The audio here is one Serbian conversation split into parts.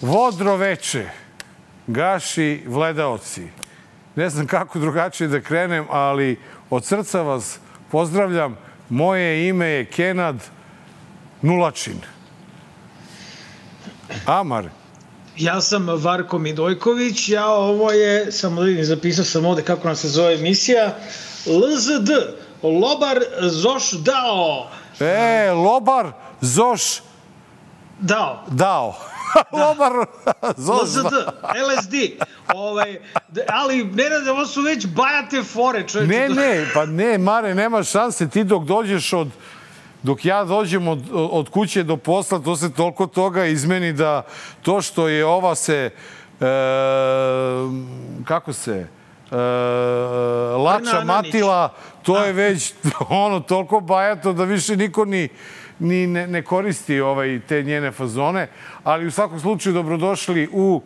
Vodro veče, gaši vledaoci. Ne znam kako drugačije da krenem, ali od srca vas pozdravljam. Moje ime je Kenad Nulačin. Amar. Ja sam Varko Midojković, ovo je, samo da vidim, zapisao sam ovde kako nam se zove emisija, LZD, Lobar Zoš Dao. Lobar Zoš Dao. Lobar Zoš LZD, LSD. Ali, Nenade, ovo su već bajate fore, čovječe. Ne, Mare, nema šanse. Ti dok ja dođem od kuće do posla, to se toliko toga izmeni da to što je ova se, Lača Matila, to je već toliko bajato da više niko ni ne koristi te njene fazone. Ali u svakom slučaju dobrodošli u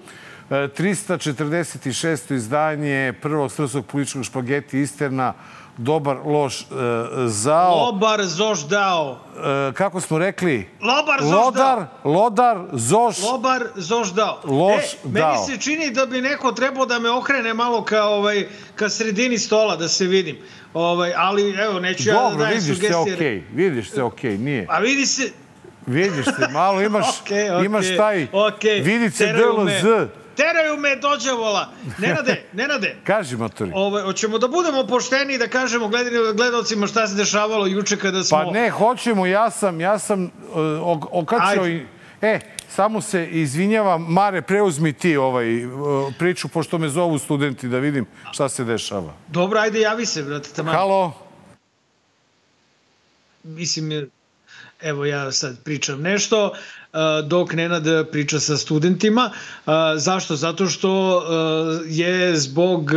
346. izdanje prvog srpskog političkog špageti Isterna, Dobar, loš, zao. Lobar, zoš, dao. Kako smo rekli? Lobar, zoš, dao. Lodar, zoš. Lobar, zoš, dao. Loš, dao. Meni se čini da bi neko trebao da me okrene malo ka sredini stola, da se vidim. Ali, evo, neću ja da dajem sugestije. Dobro, vidiš se okej, nije. A vidi se... Vidiš se, malo imaš taj vidice DLZ. Teraju me dođavola. Nenade. Kaži, matori. Hoćemo da budemo pošteni i da kažemo gledalcima šta se dešavalo juče kada smo... Pa ne, hoćemo. Ja sam okačio i... Samo se izvinjavam. Mare, preuzmi ti priču, pošto me zovu studenti da vidim šta se dešava. Dobro, ajde, javi se, brate. Halo. Mislim, evo ja sad pričam nešto, dok Nenad priča sa studentima. Zašto? Zato što je zbog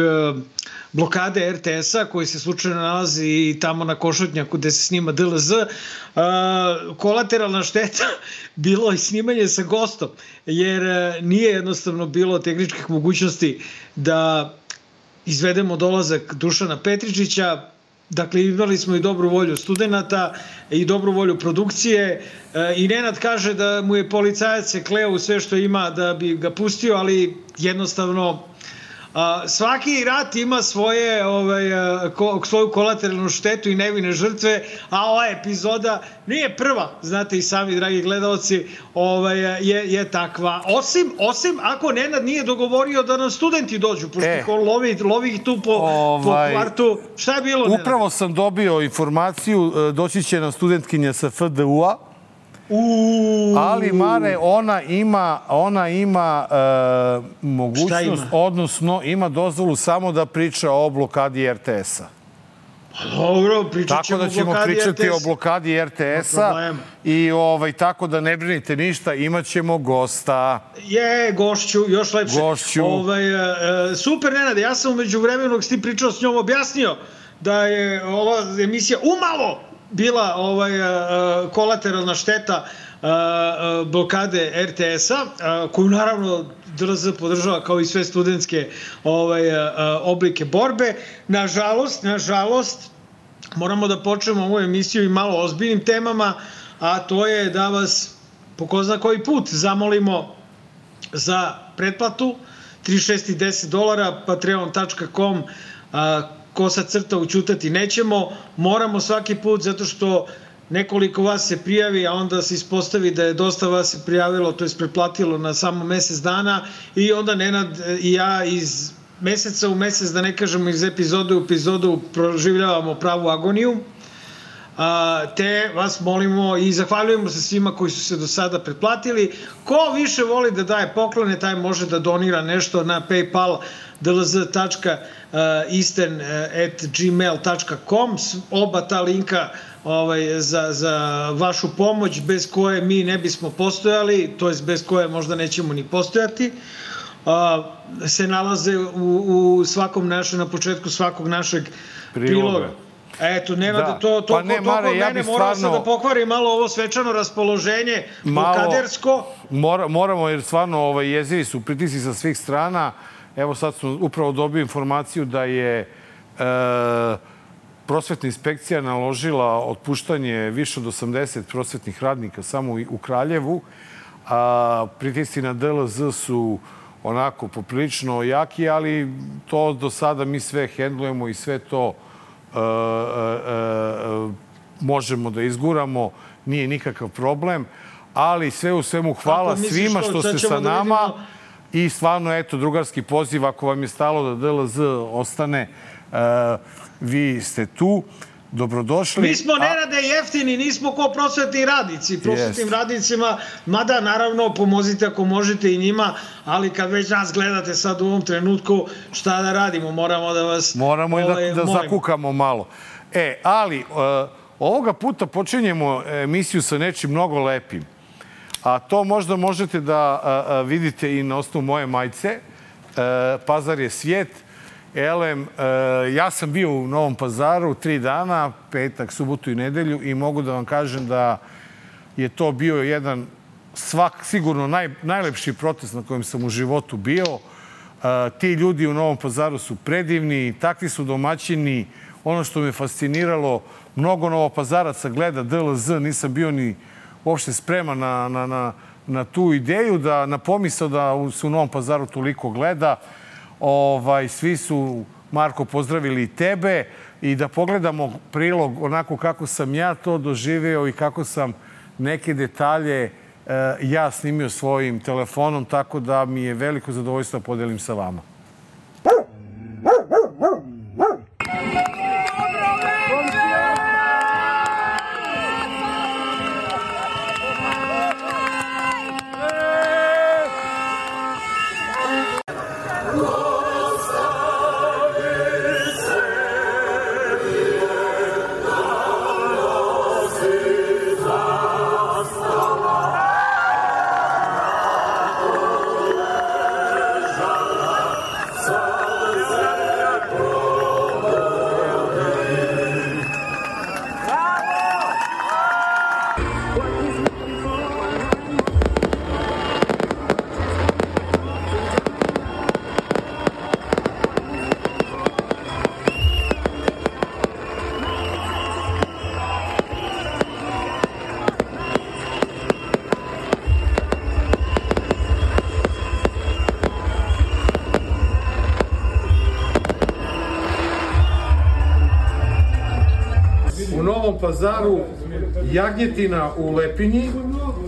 blokade RTS-a, koji se slučajno nalazi tamo na Košutnjaku gde se snima DLZ, kolateralna šteta bilo i snimanje sa gostom, jer nije jednostavno bilo tehničkih mogućnosti da izvedemo dolazak Dušana Petričića. Dakle, imali smo i dobru volju studenta i dobru volju produkcije i Nenad kaže da mu je policajac se kleo u sve što ima da bi ga pustio, ali jednostavno svaki rat ima svoju kolateralnu štetu i nevine žrtve, a ova epizoda nije prva, znate i sami, dragi gledalci, je takva. Osim ako Nenad nije dogovorio da nam studenti dođu, pošto lovi ih tu po kvartu. Šta je bilo, Nenad? Upravo sam dobio informaciju, doći će nam studentkinja sa FDU-a, ali, Mare, ona ima mogućnost, odnosno ima dozvolu samo da priča o blokadi RTS-a. Dobro, pričat ćemo o blokadi RTS-a. Tako da ćemo pričati o blokadi RTS-a i tako da ne brinite ništa, imat ćemo gosta. Gošću, još lepše. Super, Nenade, ja sam umeđu vremenu dok si ti pričao s njom objasnio da je ova emisija umalo bila kolateralna šteta blokade RTS-a, koju naravno DLZ podržava kao i sve studentske oblike borbe. Nažalost, moramo da počnemo ovu emisiju i malo ozbiljnim temama, a to je da vas po ko zna koji put zamolimo za pretplatu $36.10, patreon.com, /ućutati nećemo. Moramo svaki put, zato što nekoliko vas se prijavi, a onda se ispostavi da je dosta vas se prijavilo, to je pretplatilo na samo mesec dana i onda Nenad i ja iz meseca u mesec, da ne kažemo iz epizode u epizodu, proživljavamo pravu agoniju. Te vas molimo i zahvaljujemo se svima koji su se do sada pretplatili. Ko više voli da daje poklone, taj može da donira nešto na PayPal dlz.istern@gmail.com. Oba ta linka za vašu pomoć, bez koje mi ne bismo postojali, to jest bez koje možda nećemo ni postojati, se nalaze na početku svakog našeg priloga. Eto, nema da to od mene, moram se da pokvari malo ovo svečano raspoloženje, blokadersko. Moramo, jer stvarno jezivi su pritisci sa svih strana. Evo sad smo upravo dobili informaciju da je prosvetna inspekcija naložila otpuštanje više od 80 prosvetnih radnika samo u Kraljevu, pritisci na DLZ su onako poprilično jaki, ali to do sada mi sve hendlujemo i sve to možemo da izguramo, nije nikakav problem, ali sve u svemu hvala svima što ste sa nama i stvarno, eto, drugarski poziv, ako vam je stalo da DLZ ostane, vi ste tu. Dobrodošli. Mi smo, Nenade, jeftini, nismo ko prosvetni radnici. Prosvetnim radnicima, mada, naravno, pomozite ako možete i njima, ali kad već nas gledate sad u ovom trenutku, šta da radimo? Moramo da vas... Moramo i da zakukamo malo. Ali, ovoga puta počinjemo emisiju sa nečim mnogo lepim. A to možda možete da vidite i na osnovu moje majice. Pazar je svijet. Elem, ja sam bio u Novom Pazaru 3 dana, petak, subotu i nedelju, i mogu da vam kažem da je to bio jedan sigurno najlepši protest na kojem sam u životu bio. Ti ljudi u Novom Pazaru su predivni, takvi su domaćini. Ono što me fasciniralo, mnogo Novopazaraca gleda DLZ, nisam bio ni uopšte spreman na tu ideju, na pomisao da se u Novom Pazaru toliko gleda. Svi su, Marko, pozdravili i tebe, i da pogledamo prilog onako kako sam ja to doživeo i kako sam neke detalje ja snimio svojim telefonom, tako da mi je veliko zadovoljstvo da podelim sa vama. Pazaru jagnjetina u lepinji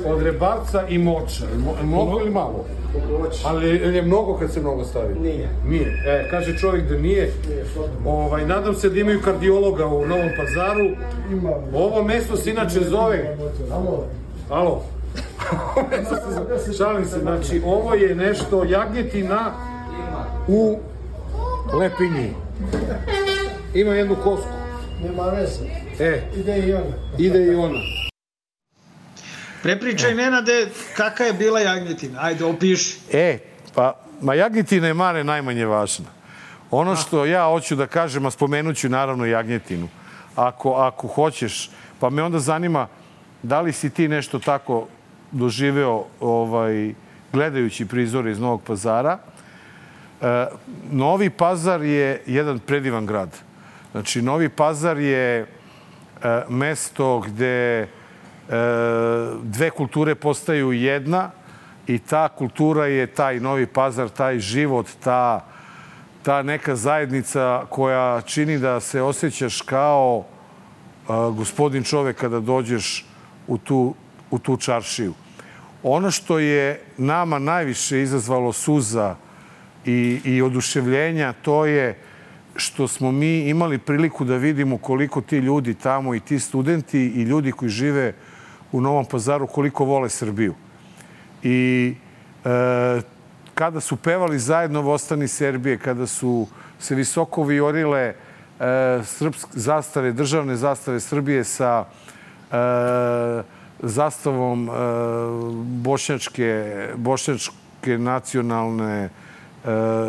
od rebarca i moča. Mnogo ili malo? Ali je mnogo kad se mnogo stavi? Nije. Kaže čovjek da nije. Nadam se da imaju kardiologa u Novom Pazaru. Ovo mesto se inače zove... Alo? Šalim se, znači ovo je nešto jagnjetina u lepinji. Ima jednu kosku. Nema veze. Ide i ona. Prepričaj, Nenade, kakva je bila jagnjetina? Ajde, opiši. Jagnjetina je, Mare, najmanje važna. Ono što ja hoću da kažem, a spomenut ću naravno jagnjetinu, ako hoćeš, pa me onda zanima da li si ti nešto tako doživeo gledajući prizore iz Novog Pazara. Novi Pazar je jedan predivan grad. Znači, Novi Pazar je mesto gde dve kulture postaju jedna, i ta kultura je taj Novi Pazar, taj život, ta neka zajednica koja čini da se osjećaš kao gospodin čovek kada dođeš u tu čaršiju. Ono što je nama najviše izazvalo suza i oduševljenja, to je što smo mi imali priliku da vidimo koliko ti ljudi tamo, i ti studenti i ljudi koji žive u Novom Pazaru, koliko vole Srbiju. I kada su pevali zajedno Vostani Serbije, kada su se visoko vijorile zastave, državne zastave Srbije sa zastavom bošnjačke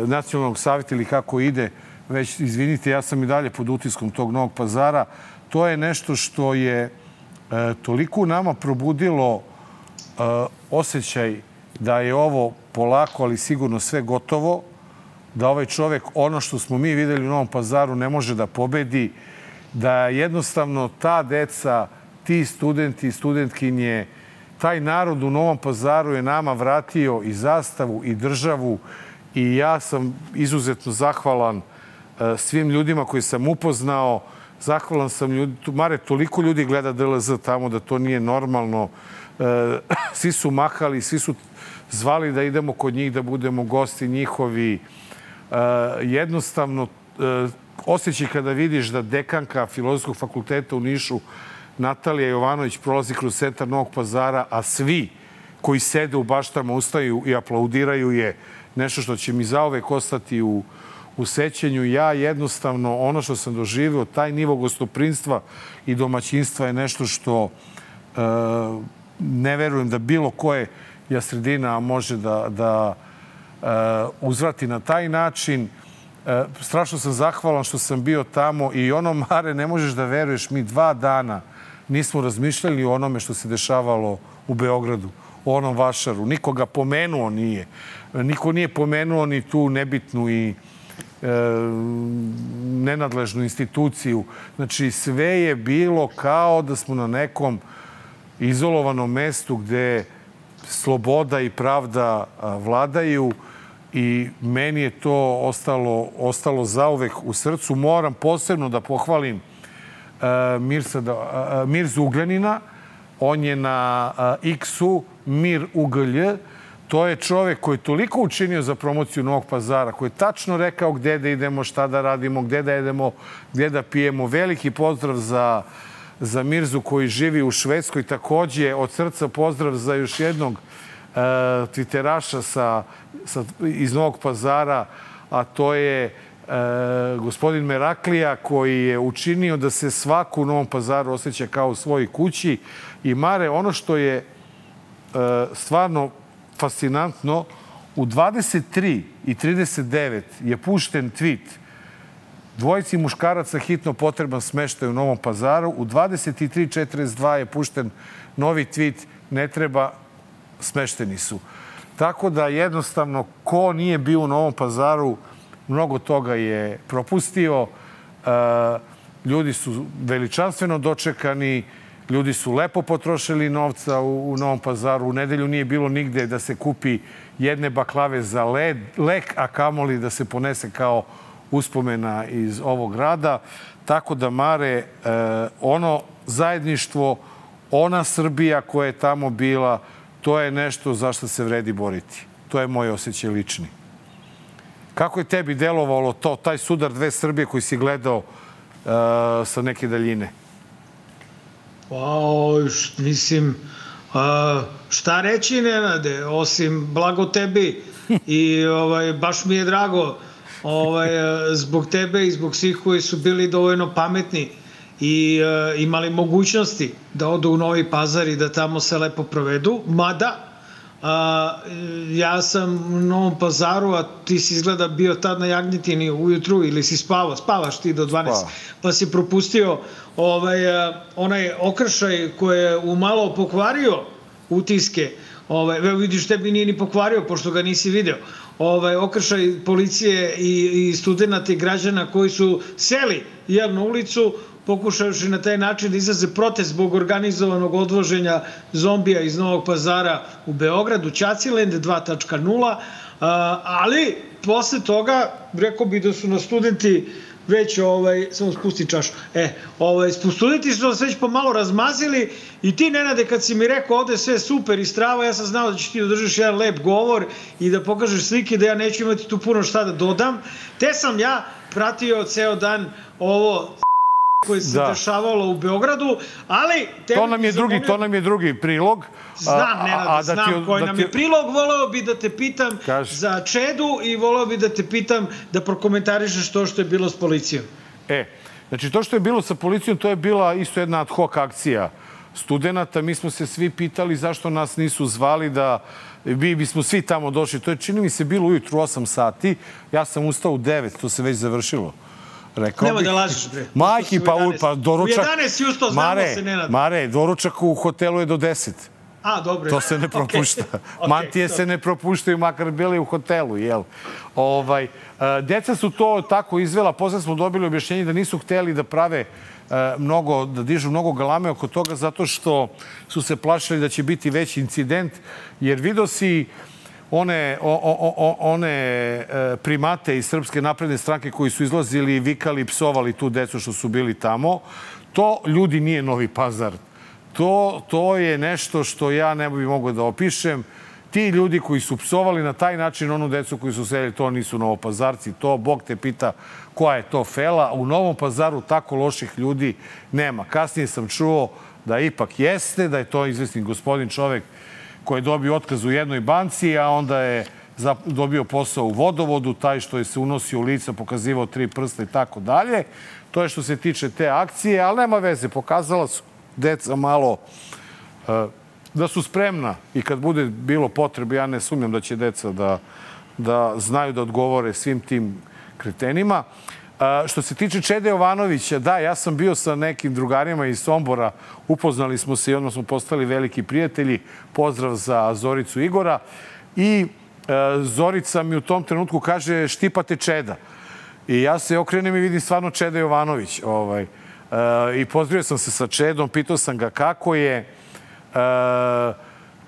nacionalnog savjeta, ili kako ide, već, izvinite, ja sam i dalje pod utiskom tog Novog Pazara. To je nešto što je toliko u nama probudilo osjećaj da je ovo polako, ali sigurno sve gotovo, da ovaj čovek, ono što smo mi videli u Novom Pazaru, ne može da pobedi, da jednostavno ta deca, ti studenti i studentkinje taj narod u Novom Pazaru je nama vratio i zastavu i državu i ja sam izuzetno zahvalan svim ljudima koji sam upoznao. Zahvalan sam Mare, toliko ljudi gleda DLZ tamo da to nije normalno. Svi su mahali, svi su zvali da idemo kod njih, da budemo gosti njihovi. Jednostavno, osjećaj kada vidiš da dekanka Filozofskog fakulteta u Nišu, Natalija Jovanović, prolazi kroz centar Novog Pazara, a svi koji sede u baštama ustaju i aplaudiraju je nešto što će mi zauvek ostati u sećanju. Ja jednostavno, ono što sam doživio, taj nivo gostoprinstva i domaćinstva je nešto što ne verujem da bilo koje sredina može da uzvrati na taj način. Strašno sam zahvalan što sam bio tamo i ono, Mare, ne možeš da veruješ, mi 2 dana nismo razmišljali o onome što se dešavalo u Beogradu, o onom vašaru. Niko ga pomenuo nije. Niko nije pomenuo ni tu nebitnu i nenadležnu instituciju. Znači, sve je bilo kao da smo na nekom izolovanom mestu gde sloboda i pravda vladaju i meni je to ostalo zauvek u srcu. Moram posebno da pohvalim Mirzu Ugljanina. On je na X-u Mir Uglj. To je čovek koji je toliko učinio za promociju Novog Pazara, koji je tačno rekao gde da idemo, šta da radimo, gde da jedemo, gde da pijemo. Veliki pozdrav za Mirzu koji živi u Švedskoj. Takođe, od srca pozdrav za još jednog twitteraša iz Novog Pazara, a to je gospodin Meraklija, koji je učinio da se svako u Novom Pazaru osjeća kao u svojoj kući. I Mare, ono što je stvarno fascinantno, u 23:39 je pušten tweet: dvojici muškaraca hitno potreban smeštaj u Novom Pazaru. U 23:42 je pušten novi tweet: ne treba, smešteni su. Tako da jednostavno ko nije bio u Novom Pazaru, mnogo toga je propustio. Ljudi su veličanstveno dočekani, ljudi su lepo potrošili novca u Novom Pazaru. U nedelju nije bilo nigde da se kupi jedne baklave za lek, a kamoli da se ponese kao uspomena iz ovog grada. Tako da, Mare, ono zajedništvo, ona Srbija koja je tamo bila, to je nešto za što se vredi boriti. To je moj osjećaj lični. Kako je tebi delovalo taj sudar dve Srbije koji si gledao sa neke daljine? Mislim, šta reći, Nenade, osim blago tebi i baš mi je drago zbog tebe i zbog svih koji su bili dovoljno pametni i imali mogućnosti da odu u Novi Pazar i da tamo se lepo provedu. Mada, ja sam u Novom Pazaru, a ti si izgleda bio tad na Jagnjetini ujutru ili si spavaš ti do 12, pa si propustio onaj okršaj koji je umalo pokvario utiske. Vidiš, tebi nije ni pokvario, pošto ga nisi video. Okršaj policije i studenta i građana koji su seli javnu ulicu, pokušavši na taj način da izraze protest zbog organizovanog odvoženja zombija iz Novog Pazara u Beogradu, Ćaciland 2.0, ali posle toga rekao bi da su na studenti već, samo spusti čašu, studenti su nas već pomalo razmazili i ti, Nenade, kad si mi rekao ovde sve super i strava, ja sam znao da ćeš ti da držiš jedan lep govor i da pokažeš slike, da ja neću imati tu puno šta da dodam, te sam ja pratio ceo dan ovo koje se dešavalo u Beogradu, ali... To nam je drugi prilog. Znam, Nenade, znam koji nam je prilog. Voleo bi da te pitam za Čedu i voleo bi da te pitam da prokomentarišeš to što je bilo s policijom. Znači, to što je bilo sa policijom, to je bila isto jedna ad hoc akcija studenta. Mi smo se svi pitali zašto nas nisu zvali da bismo svi tamo došli. To je, čini mi se, bilo ujutru 8 sati. Ja sam ustao u 9, to se već završilo. Nemoj da lažiš, bre. Majki, pa doručak... U 11 si ustao, znamo se, Nenad. Mare, doručak u hotelu je do 10. Dobro. To se ne propušta. Mantije se ne propuštaju, makar bili u hotelu, jel? Deca su to tako izvela. Posle smo dobili objašnjenje da nisu hteli da prave da dižu mnogo galame oko toga zato što su se plašili da će biti veći incident, jer vidio si one primate iz Srpske napredne stranke koji su izlazili i vikali i psovali tu decu što su bili tamo. To, ljudi, nije Novi Pazar. To je nešto što ja ne bih mogao da opišem. Ti ljudi koji su psovali na taj način onu decu koji su sedeli, to nisu Novopazarci. To, Bog te pita koja je to fela. U Novom Pazaru tako loših ljudi nema. Kasnije sam čuo da ipak jeste, da je to izvesni gospodin čovek koji je dobio otkaz u jednoj banci, a onda je dobio posao u vodovodu, taj što je se unosio u lica, pokazivao 3 prsta i tako dalje. To je što se tiče te akcije, ali nema veze. Pokazala su deca malo da su spremna i kad bude bilo potrebe, ja ne sumnjam da će deca da znaju da odgovore svim tim kretenima. Što se tiče Čede Jovanovića, da, ja sam bio sa nekim drugarima iz Sombora, upoznali smo se i odmah smo postali veliki prijatelji. Pozdrav za Zoricu Igora. I Zorica mi u tom trenutku kaže štipate Čeda. I ja se okrenem i vidim stvarno Čeda Jovanović. I pozdravio sam se sa Čedom, pitao sam ga kako je,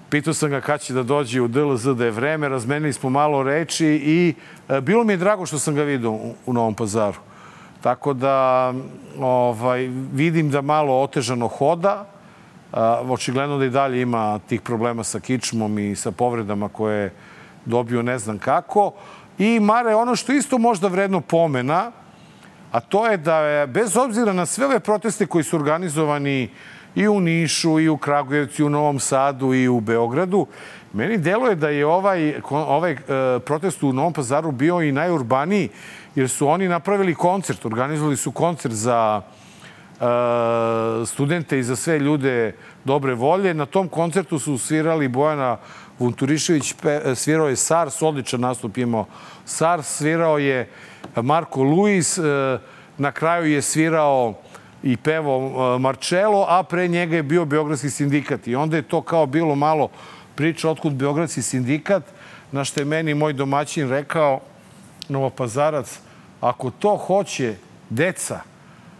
pitao sam ga kad će da dođe u DLZ, da je vreme, razmenili smo malo reči i bilo mi je drago što sam ga vidio u Novom Pazaru. Tako da vidim da malo otežano hoda, očigledno da i dalje ima tih problema sa kičmom i sa povredama koje je dobio ne znam kako. I Mare, ono što isto možda vredno pomena, a to je da je, bez obzira na sve ove proteste koji su organizovani i u Nišu, i u Kragujevcu, i u Novom Sadu, i u Beogradu, meni deluje da je ovaj protest u Novom Pazaru bio i najurbaniji, jer su oni napravili koncert, organizovali su koncert za studente i za sve ljude dobre volje. Na tom koncertu su svirali Bojana Vunturišević, svirao je Sars, odličan nastup imao Sars, svirao je Marko Luis, na kraju je svirao i pevao Marcello, a pre njega je bio Beogradski sindikat. I onda je to kao bilo malo priča otkud Beogradski sindikat, na što je meni moj domaćin rekao, Novopazarac, ako to hoće deca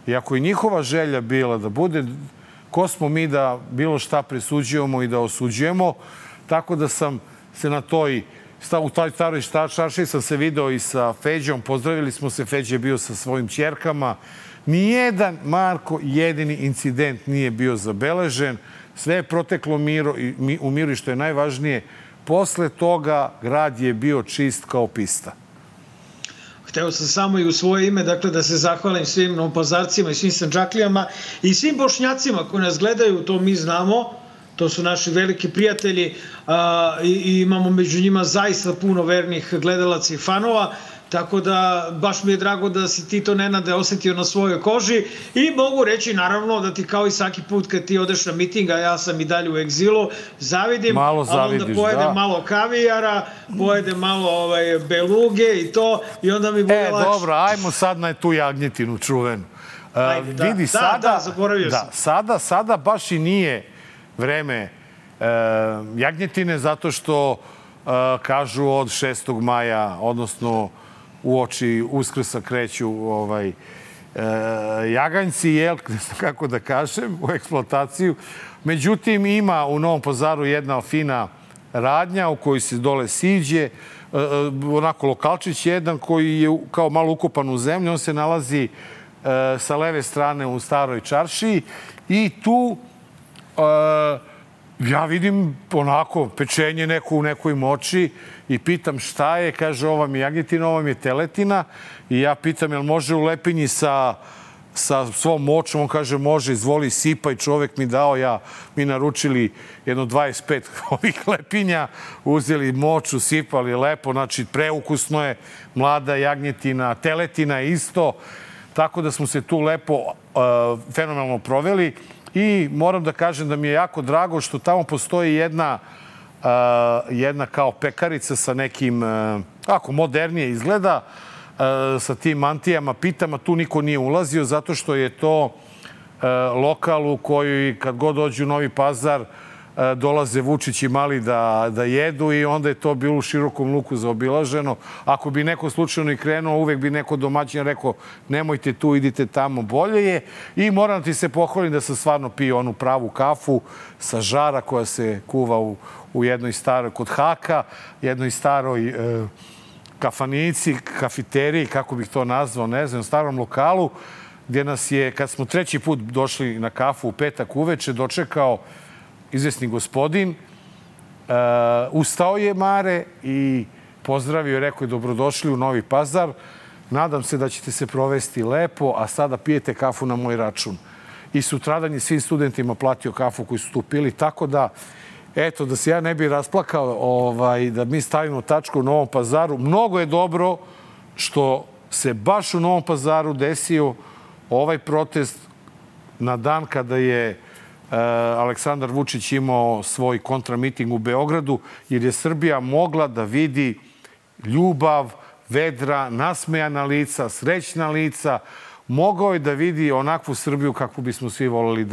i ako je njihova želja bila da bude, ko smo mi da bilo šta presuđujemo i da osuđujemo, tako da sam se u toj staroj čaršiji sam se video i sa Feđom, pozdravili smo se, Feđa je bio sa svojim ćerkama. Nijedan, Marko, jedini incident nije bio zabeležen, sve je proteklo u miru i što je najvažnije, posle toga grad je bio čist kao pista. Hteo sam samo i u svoje ime, dakle, da se zahvalim svim Novopazarcima i svim Sandžaklijama i svim Bošnjacima koji nas gledaju, to mi znamo, to su naši veliki prijatelji i imamo među njima zaista puno vernih gledalaca i fanova, tako da baš mi je drago da si ti to, Nenade, osetio na svojoj koži i mogu reći naravno da ti kao i svaki put kad ti odeš na miting, a ja sam i dalje u egzilu, zavidim, a onda pojedem malo kavijara, pojedem malo beluge i to i onda mi bude lakše. Dobro, ajmo sad na tu jagnjetinu čuvenu. Vidi, zaboravio sam. Sada baš i nije vreme jagnjetine zato što kažu od 6. maja, odnosno uoči Uskrsa kreću jaganjci, ne znam kako da kažem, u eksploataciju. Međutim, ima u Novom Pazaru jedna fina radnja u kojoj se dole siđe, onako lokalčić jedan koji je kao malo ukopan u zemlju, on se nalazi sa leve strane u staroj čaršiji i tu ja vidim onako pečenje neko u nekoj moči i pitam šta je, kaže ovo mi je jagnjetina, ovo mi je teletina i ja pitam jel može u lepinji sa svom močom, on kaže može, izvoli sipaj, čovek mi dao, mi naručili jedno 25 ovih lepinja, uzeli moču, sipali lepo, znači preukusno je, mlada jagnjetina, teletina isto, tako da smo se tu lepo, fenomenalno proveli. I moram da kažem da mi je jako drago što tamo postoji jedna kao pekarica sa nekim, ako modernije izgleda, sa tim mantijama, pitama. Tu niko nije ulazio zato što je to lokal u koji kad god dođu u Novi Pazar dolaze Vučić i Mali da jedu i onda je to bilo u širokom luku zaobilaženo. Ako bi neko slučajno i krenuo, uvek bi neko domaćin rekao nemojte tu, idite tamo, bolje je. I moram ti se pohvalim da sam stvarno pio onu pravu kafu sa žara koja se kuva u jednoj staroj, kod Haka, jednoj staroj kafanici, kafiteriji, kako bih to nazvao, ne znam, starom lokalu, gdje nas je, kad smo treći put došli na kafu u petak uveče, dočekao izvesni gospodin. Ustao je Mare i pozdravio i rekao je dobrodošli u Novi Pazar. Nadam se da ćete se provesti lepo, a sada pijete kafu na moj račun. I sutradan je svim studentima platio kafu koju su tu pili, tako da eto, da se ja ne bi rasplakao, da mi stavimo tačku u Novom Pazaru. Mnogo je dobro što se baš u Novom Pazaru desio ovaj protest na dan kada je Aleksandar Vučić imao svoj kontramiting u Beogradu, jer je Srbija mogla da vidi ljubav, vedra, nasmejana lica, srećna lica. Mogao je da vidi onakvu Srbiju kakvu bismo svi voleli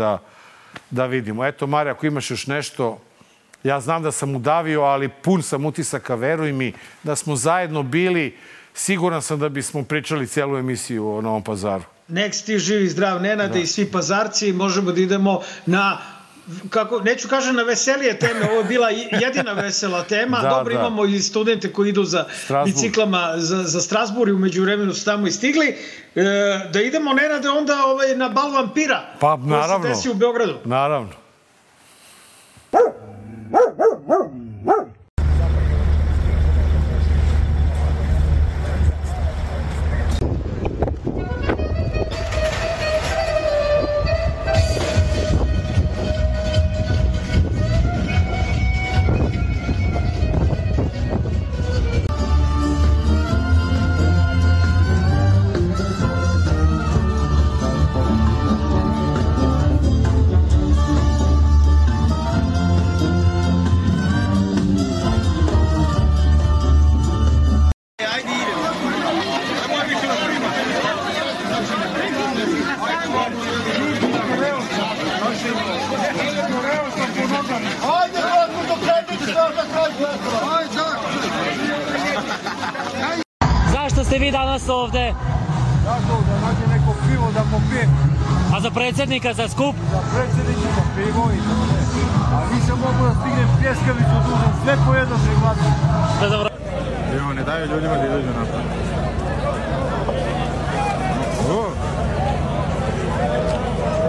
da vidimo. Eto, Marija, ako imaš još nešto, ja znam da sam udavio, ali pun sam utisaka, veruj mi, da smo zajedno bili. Siguran sam da bismo pričali celu emisiju o Novom Pazaru. Nek si ti živi, zdrav, Nenade, i svi pazarci. Možemo da idemo na, neću kažem na veselije teme, ovo je bila jedina vesela tema. Dobro, imamo i studente koji idu za biciklama za Strasbourg i umeđu vremenu su tamo i stigli. Da idemo, Nenade, onda na bal vampira. Pa, naravno. Koji se desi u Beogradu. Naravno. Zašto ste vi danas ovde? Zašto? Da nađe neko pivo da popije. A za predsjednika, za skup? Za predsjednika, za pivo i to sve. A nisam mogu da stignem pljeskavicu dužan, sve po jednom prihvatim. Evo, ne daju ljudima da izađu napad.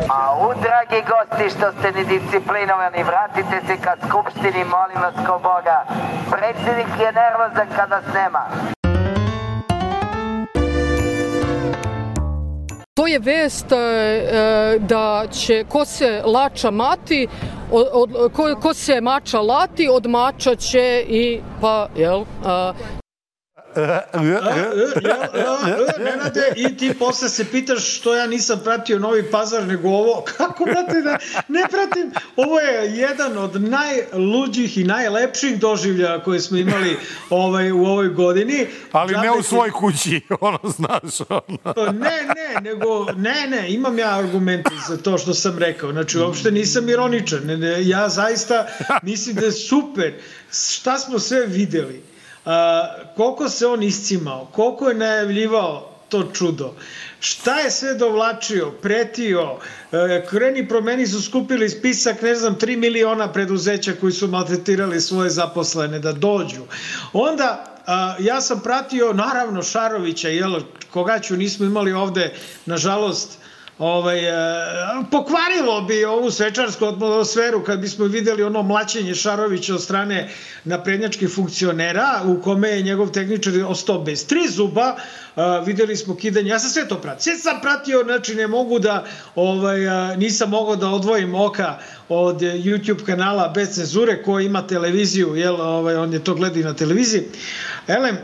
Au, dragi gosti, što ste nedisciplinovani, vratite se ka skupštini, molim vas ko Boga. Predsjednik je nervozan kada snema. To je vest da će ko se lača mati, ko se mača lati, od mača će i pa, jel... Nenade, i ti posle se pitaš što ja nisam pratio Novi Pazar nego ovo. Kako, brate, da ne pratim? Ovo je jedan od najluđih i najlepših doživljaja koje smo imali u ovoj godini. Ali ne u svoj kući, znaš. Ne, imam ja argumente za to što sam rekao. Znači, uopšte nisam ironičan. Ja zaista mislim da je super. Šta smo sve videli? Koliko se on iscimao, koliko je najavljivao to čudo, šta je sve dovlačio, pretio, kreni promeni su skupili spisak, 3 miliona preduzeća koji su maltretirali svoje zaposlene da dođu. Onda ja sam pratio, naravno, Šarovića, koga ću, nismo imali ovde, nažalost, pokvarilo bi ovu svečarsku atmosferu kad bismo videli ono mlaćenje Šarovića od strane naprednjačkih funkcionera u kome je njegov tehničar ostao bez 3 zuba. Videli smo kidanje, ja sam sve to pratio. Sve sam pratio, znači ne mogu da, nisam mogao da odvojim oka od YouTube kanala Bez cenzure koji ima televiziju, on je to gledao i na televiziji. Elem,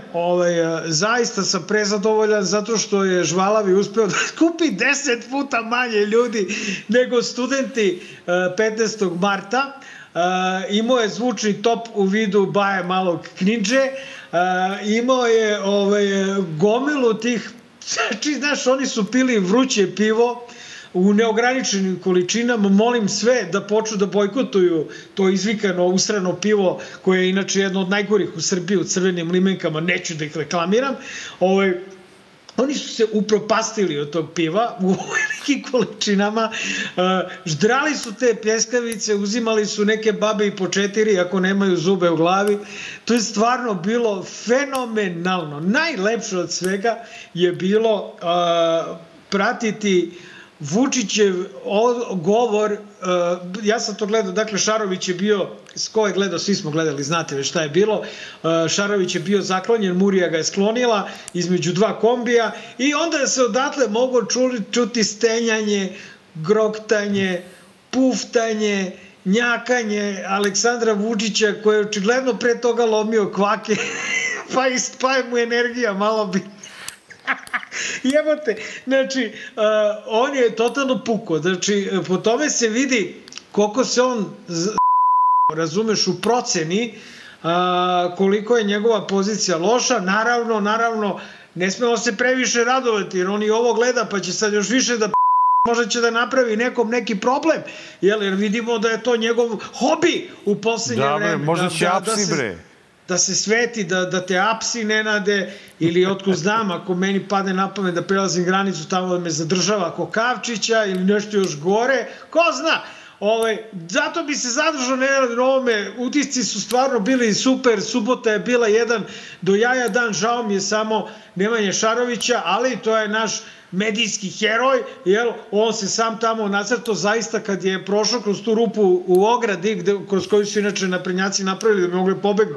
zaista sam prezadovoljan zato što je Žvalavi uspeo da kupi 10 puta manje ljudi nego studenti 15. marta. Imao je zvučni top u vidu Baje Malog Knidže, imao je gomilu tih, znaš, oni su pili vruće pivo, u neograničenim količinama. Molim sve da počnu da bojkotuju to izvikano usrano pivo koje je inače jedno od najgorih u Srbiji u crvenim limenkama, neću da ih reklamiram. Oni su se upropastili od tog piva u velikim količinama, ždrali su te pljeskavice, uzimali su neke babe i po 4 ako nemaju zube u glavi. To je stvarno bilo fenomenalno. Najlepše od svega je bilo pratiti Vučićev govor. Ja sam to gledao, dakle Šarović je bio, ko je gledao, svi smo gledali, znate već šta je bilo. Šarović je bio zaklonjen, Murija ga je sklonila između 2 kombija i onda se odatle moglo čuti stenjanje, groktanje, puftanje, njakanje Aleksandra Vučića koji je očigledno pre toga lomio kvake pa je mu energija malo bi jebote, znači on je totalno puko, znači po tome se vidi koliko se on razumeš u proceni koliko je njegova pozicija loša. Naravno ne smemo se previše radovati jer on i ovo gleda pa će sad još više da možda će da napravi nekom neki problem, jer vidimo da je to njegov hobi u poslednje vreme. Možda će apsi bre. Da se sveti, da te apsi ne nade ili otkud znam, ako meni padne na pamet da prelazim granicu tamo da me zadržava Kokavčića ili nešto još gore, ko zna. Zato bi se zadržao na ovome, utisci su stvarno bili super, subota je bila jedan do jaja dan, žao mi je samo Nemanje Šarovića, ali to je naš medijski heroj, jer on se sam tamo nacrtao zaista kad je prošao kroz tu rupu u ogradi, kroz koju su inače naprednjaci napravili da bi mogli pobegnu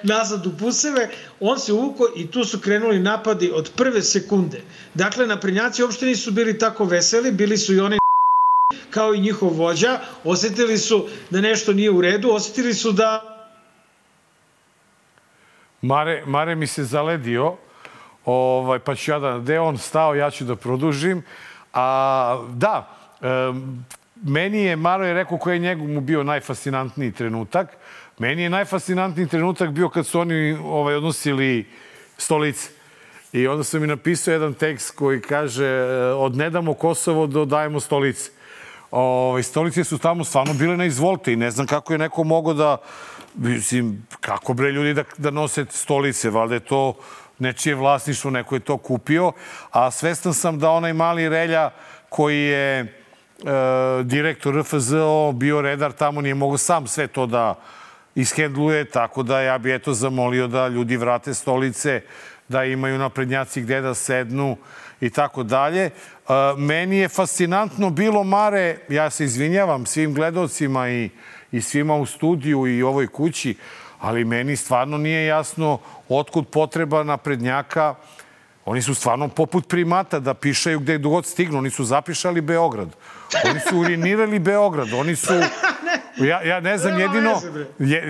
nazad u puseve, on se uvukao i tu su krenuli napadi od prve sekunde. Dakle, naprednjaci uopšte nisu bili tako veseli, bili su i oni kao i njihov vođa, osetili su da nešto nije u redu, osetili su da... Mare mi se zaledio, pa ću ja da, gde on stao, ja ću da produžim. Meni je, Maro je rekao koji je njegov bio najfascinantniji trenutak. Meni je najfascinantniji trenutak bio kad su oni odnosili stolice. I onda sam mi napisao jedan tekst koji kaže od ne damo Kosovo do dajemo stolice. Stolice su tamo stvarno bile na izvolte i ne znam kako je neko mogao da, mislim, kako bre ljudi da nose stolice, valjda je to nečije vlasništvo, neko je to kupio, a svestan sam da onaj mali Relja koji je direktor RFZO, bio redar tamo, nije mogao sam sve to da ishendluje, tako da ja bi zamolio da ljudi vrate stolice, da imaju naprednjaci gde da sednu i tako dalje. Meni je fascinantno bilo, Mare, ja se izvinjavam svim gledalcima i svima u studiju i ovoj kući, ali meni stvarno nije jasno otkud potreba naprednjaka. Oni su stvarno poput primata da pišaju gde god stignu. Oni su zapišali Beograd. Oni su urinirali Beograd. Oni su... Ja ne znam, jedino...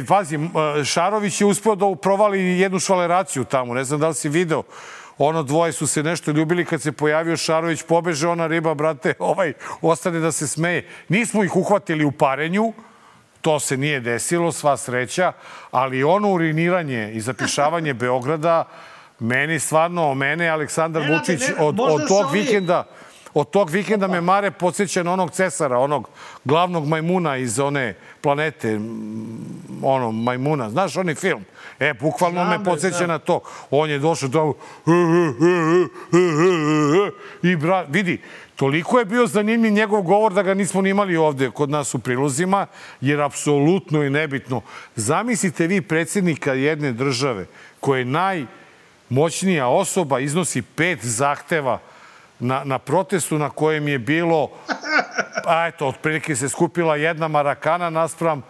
Pazi, Šarović je uspeo da provali jednu švaleraciju tamo. Ne znam da li si video. Ono dvoje su se nešto ljubili. Kad se pojavio Šarović, pobeže ona riba, brate, ostane da se smeje. Nismo ih uhvatili u parenju. To se nije desilo, sva sreća. Ali ono uriniranje i zapišavanje Beograda, mene Aleksandar Vučić od tog vikenda me, Mare, podsjeća na onog Cesara, onog glavnog majmuna iz one planete, majmuna. Znaš onaj film? Bukvalno me podsjeća na to. On je došao tamo i vidi, toliko je bio zanimljiv njegov govor da ga nismo ni imali ovde kod nas u prilozima, jer apsolutno je nebitno. Zamislite vi predsjednika jedne države koja je najmoćnija osoba, iznosi 5 zahteva na protestu na kojem je bilo, otprilike se skupila 1 Marakana naspram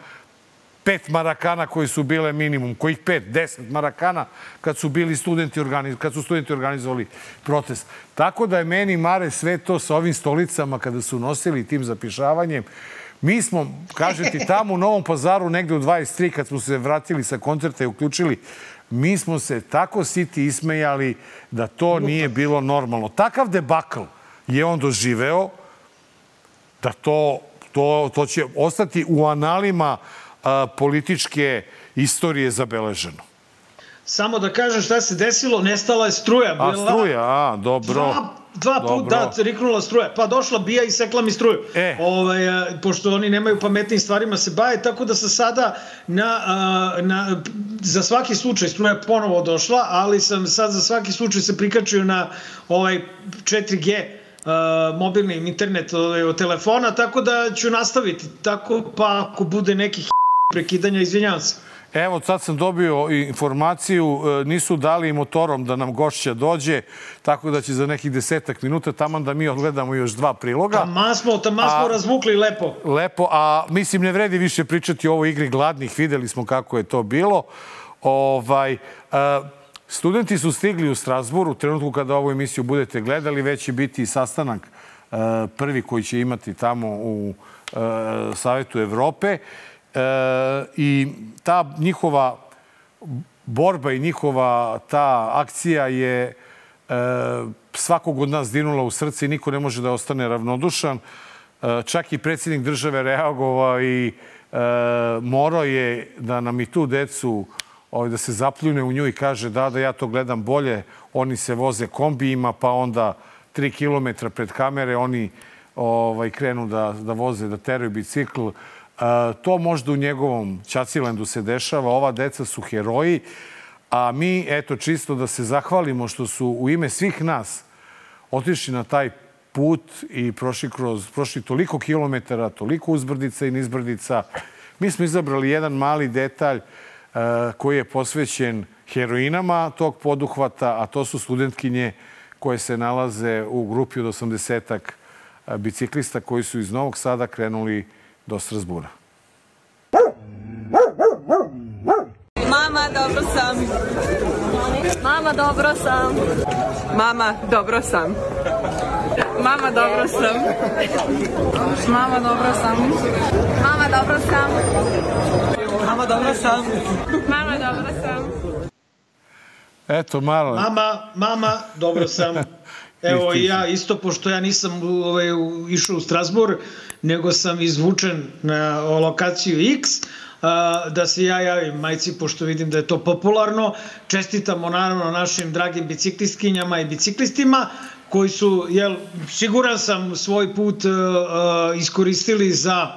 5 Marakana koji su bile minimum. Kojih 5? 10 Marakana kad su studenti organizovali protest. Tako da je meni, Mare, sve to sa ovim stolicama kada su nosili tim zapišavanjem. Mi smo, kažete, tamo u Novom Pazaru negde u 23 kad smo se vratili sa koncerta i uključili, mi smo se tako siti ismejali da to nije bilo normalno. Takav debakl je on doživeo da to će ostati u analima političke istorije zabeleženo. Samo da kažem šta se desilo, nestala je struja. Struja, dobro. 2 puta, da, riknula struja. Pa došla bija i sekla mi struju. Pošto oni nemaju pametnim stvarima se baje, tako da sam sada za svaki slučaj struja ponovo došla, ali sam sad za svaki slučaj se prikačio na 4G mobilni internet od telefona, tako da ću nastaviti. Tako pa ako bude nekih prekidanja, izvinjavam se. Evo, sad sam dobio informaciju, nisu dali motorom da nam gošća dođe, tako da će za nekih 10 minuta taman da mi odgledamo još 2 priloga. Taman smo razvukli lepo. Lepo, a mislim ne vredi više pričati o ovoj igri gladnih, videli smo kako je to bilo. Studenti su stigli u Strasbourg, u trenutku kada ovu emisiju budete gledali, već će biti sastanak prvi koji će imati tamo u Savetu Evrope. I ta njihova borba i njihova ta akcija je svakog od nas dirnula u srce i niko ne može da ostane ravnodušan. Čak i predsjednik države reagovao i morao je da nam i tu decu da se zapljune u nju i kaže da ja to gledam bolje. Oni se voze kombijima, pa onda 3 kilometra pred kamere oni krenu da voze, da teraju bicikl. To možda u njegovom Ćacilendu se dešava. Ova deca su heroji, a mi, eto, čisto da se zahvalimo što su u ime svih nas otišli na taj put i prošli toliko kilometara, toliko uzbrdica i nizbrdica. Mi smo izabrali jedan mali detalj koji je posvećen heroinama tog poduhvata, a to su studentkinje koje se nalaze u grupi od 80-ak biciklista koji su iz Novog Sada krenuli do Strasbura. Mama, dobro sam. Mama, dobro sam. Mama, dobro sam. Mama, dobro sam. Mama, dobro sam. Mama, dobro sam. Mama, dobro sam. Mama, dobro sam. Eto, malo. Mama, dobro sam. Evo i ja isto, pošto ja nisam išao u Strasbourg, nego sam izvučen na lokaciju X, da se ja javim majci, pošto vidim da je to popularno. Čestitamo naravno našim dragim biciklistkinjama i biciklistima koji su, siguran sam, svoj put iskoristili za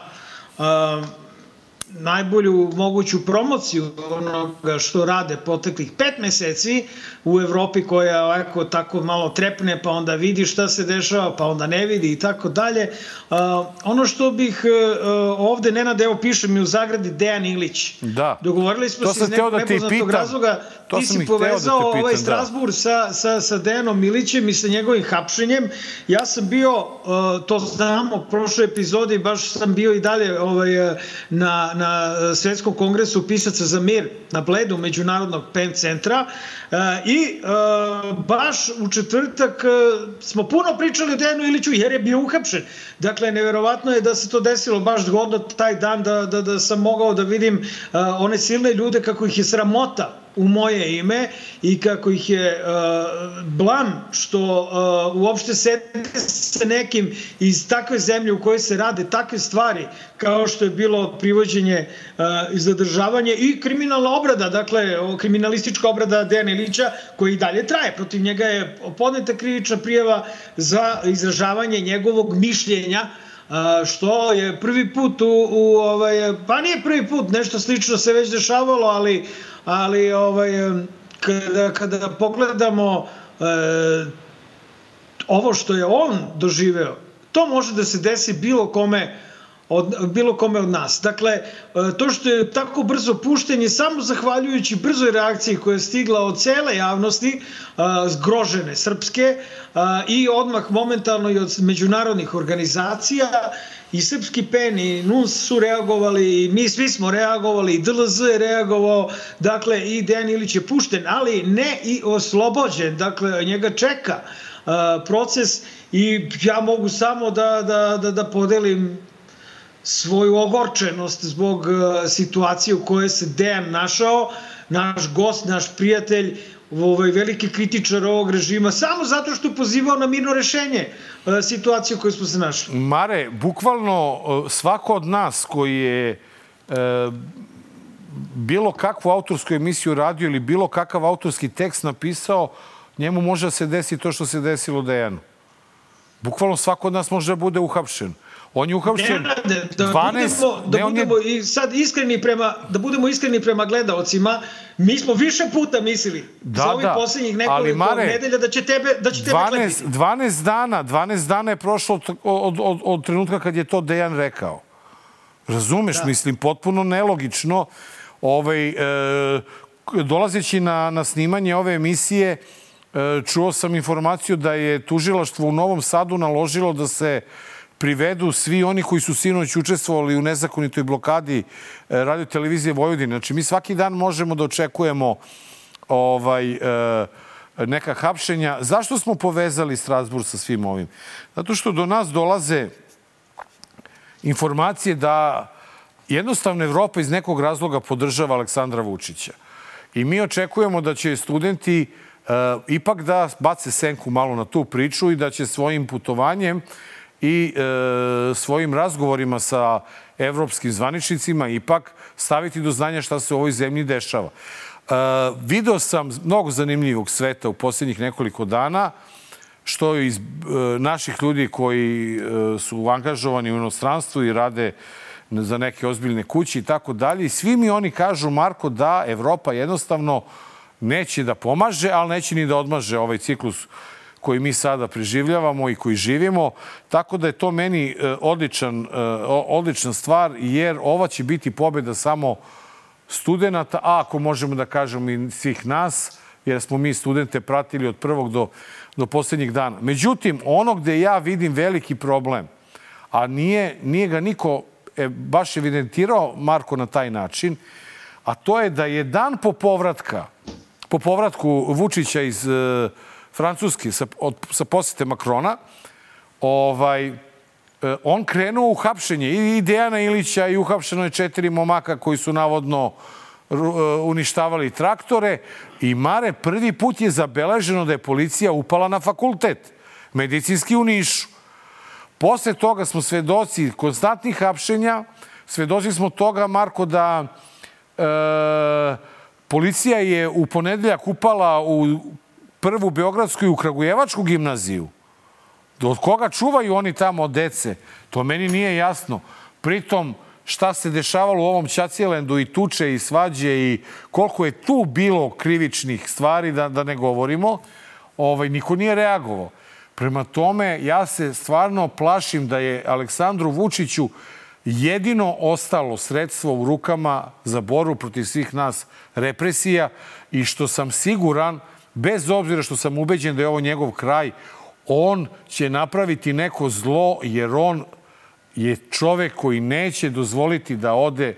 najbolju moguću promociju onoga što rade poteklih 5 meseci u Evropi, koja ovako tako malo trepne, pa onda vidi šta se dešava, pa onda ne vidi i tako dalje. Ono što bih ovde, Nenad, evo piše mi u zagradi Dejan Ilić. Da. Dogovorili smo se iz nekog nepoznatog razloga. Ti si povezao ovaj Strasbourg sa Dejanom Ilićem i sa njegovim hapšenjem. Ja sam bio, to znamo, u prošloj epizodi, baš sam bio i dalje na Svetskom kongresu pisaca za mir na Bledu Međunarodnog PEN centra i baš u četvrtak smo puno pričali o Dejanu Iliću jer je bio uhapšen. Dakle, neverovatno je da se to desilo baš zgodno taj dan da sam mogao da vidim one silne ljude kako ih je sramota u moje ime i kako ih je blam što uopšte sede sa nekim iz takve zemlje u kojoj se rade takve stvari kao što je bilo privođenje i zadržavanje i kriminalna obrada, dakle kriminalistička obrada Dejana Ilića koji i dalje traje. Protiv njega je podneta krivična prijava za izražavanje njegovog mišljenja, što je prvi put pa nije prvi put, nešto slično se već dešavalo, ali kada pogledamo ovo što je on doživeo, to može da se desi bilo kome od nas. Dakle, to što je tako brzo pušten je samo zahvaljujući brzoj reakciji koja je stigla od cele javnosti, zgrožene srpske, i odmah momentalno i od međunarodnih organizacija. I Srpski PEN i NUNS su reagovali, i mi svi smo reagovali, i DLZ je reagovao, dakle i Dejan Ilić je pušten, ali ne i oslobođen, dakle njega čeka proces i ja mogu samo da podelim svoju ogorčenost zbog situacije u kojoj se Dejan našao, naš gost, naš prijatelj, veliki kritičar ovog režima, samo zato što je pozivao na mirno rešenje situacije u kojoj smo se našli. Mare, bukvalno svako od nas koji je bilo kakvu autorsku emisiju radio ili bilo kakav autorski tekst napisao, njemu može da se desi to što se desilo Dejanu. Bukvalno svako od nas može da bude uhapšen. On je uhapšen 12... Da budemo iskreni prema gledaocima, mi smo više puta mislili za ovih posljednjih nekoliko nedelja da će tebe klepiti. 12 dana je prošlo od trenutka kad je to Dejan rekao. Razumeš, mislim, potpuno nelogično. Dolazeći na snimanje ove emisije, čuo sam informaciju da je tužilaštvo u Novom Sadu naložilo da se privedu svi oni koji su sinoć učestvovali u nezakonitoj blokadi Radio-televizije Vojvodine. Znači, mi svaki dan možemo da očekujemo neka hapšenja. Zašto smo povezali Strazburg sa svim ovim? Zato što do nas dolaze informacije da jednostavno Evropa iz nekog razloga podržava Aleksandra Vučića. I mi očekujemo da će studenti ipak da bace senku malo na tu priču i da će svojim putovanjem i svojim razgovorima sa evropskim zvaničnicima ipak staviti do znanja šta se u ovoj zemlji dešava. Video sam mnogo zanimljivog sveta u posljednjih nekoliko dana, što iz naših ljudi koji su angažovani u inostranstvu i rade za neke ozbiljne kuće i tako dalje. I svi mi oni kažu, Marko, da Evropa jednostavno neće da pomaže, ali neće ni da odmaže ovaj ciklus koji mi sada preživljavamo i koji živimo. Tako da je to meni odlična stvar, jer ova će biti pobjeda samo studenta, a ako možemo da kažemo i svih nas, jer smo mi studente pratili od prvog do posljednjeg dana. Međutim, ono gde ja vidim veliki problem, a nije ga niko baš evidentirao, Marko, na taj način, a to je da je dan po povratku Vučića iz Francuske sa posete Makrona, on krenuo u hapšenje i Dejana Ilića i uhapšeno je 4 momaka koji su navodno uništavali traktore i Mare, prvi put je zabeleženo da je policija upala na fakultet medicinski u Nišu. Posle toga smo svedoci konstantnih hapšenja, svedoci smo toga, Marko, da policija je u ponedeljak upala u prvu beogradsku i u kragujevačku gimnaziju. Od koga čuvaju oni tamo od dece? To meni nije jasno. Pritom, šta se dešavalo u ovom Ćacijelendu i tuče i svađe i koliko je tu bilo krivičnih stvari, da ne govorimo, niko nije reagovao. Prema tome, ja se stvarno plašim da je Aleksandru Vučiću jedino ostalo sredstvo u rukama za borbu protiv svih nas represija i što sam siguran, bez obzira što sam ubeđen da je ovo njegov kraj, on će napraviti neko zlo jer on je čovek koji neće dozvoliti da ode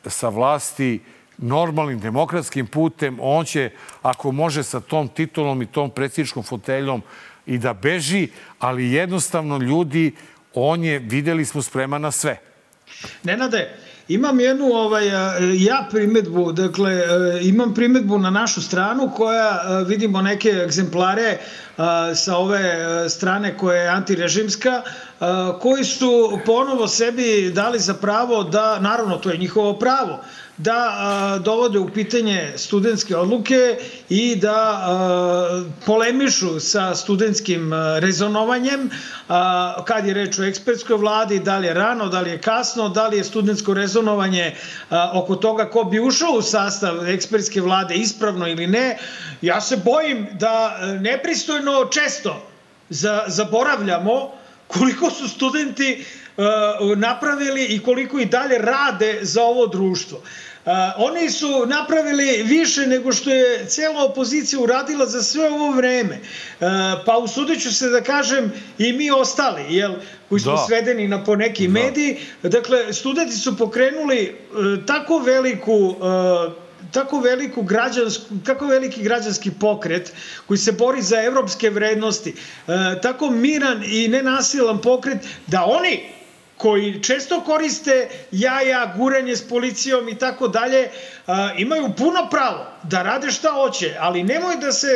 sa vlasti normalnim demokratskim putem. On će, ako može, sa tom titulom i tom predsjedničkom foteljom i da beži, ali jednostavno ljudi, on je, videli smo, spreman na sve. Nenade, imam jednu primedbu, dakle, imam primedbu na našu stranu koja, vidimo neke egzemplare sa ove strane koja je antirežimska, koji su ponovo sebi dali za pravo da, naravno to je njihovo pravo, da dovode u pitanje studentske odluke i da polemišu sa studentskim rezonovanjem, kad je reč o ekspertskoj vladi, da li je rano, da li je kasno, da li je studentsko rezonovanje oko toga ko bi ušao u sastav ekspertske vlade ispravno ili ne. Ja se bojim da nepristojno često zaboravljamo koliko su studenti napravili i koliko i dalje rade za ovo društvo. Oni su napravili više nego što je cijela opozicija uradila za sve ovo vreme. Pa usudit ću se da kažem i mi ostali, koji smo svedeni na poneki mediji. Dakle, studenti su pokrenuli tako veliki građanski pokret koji se bori za evropske vrednosti, tako miran i nenasilan pokret da oni koji često koriste jaja, guranje s policijom i tako dalje, imaju puno pravo da rade šta hoće, ali nemoj da se,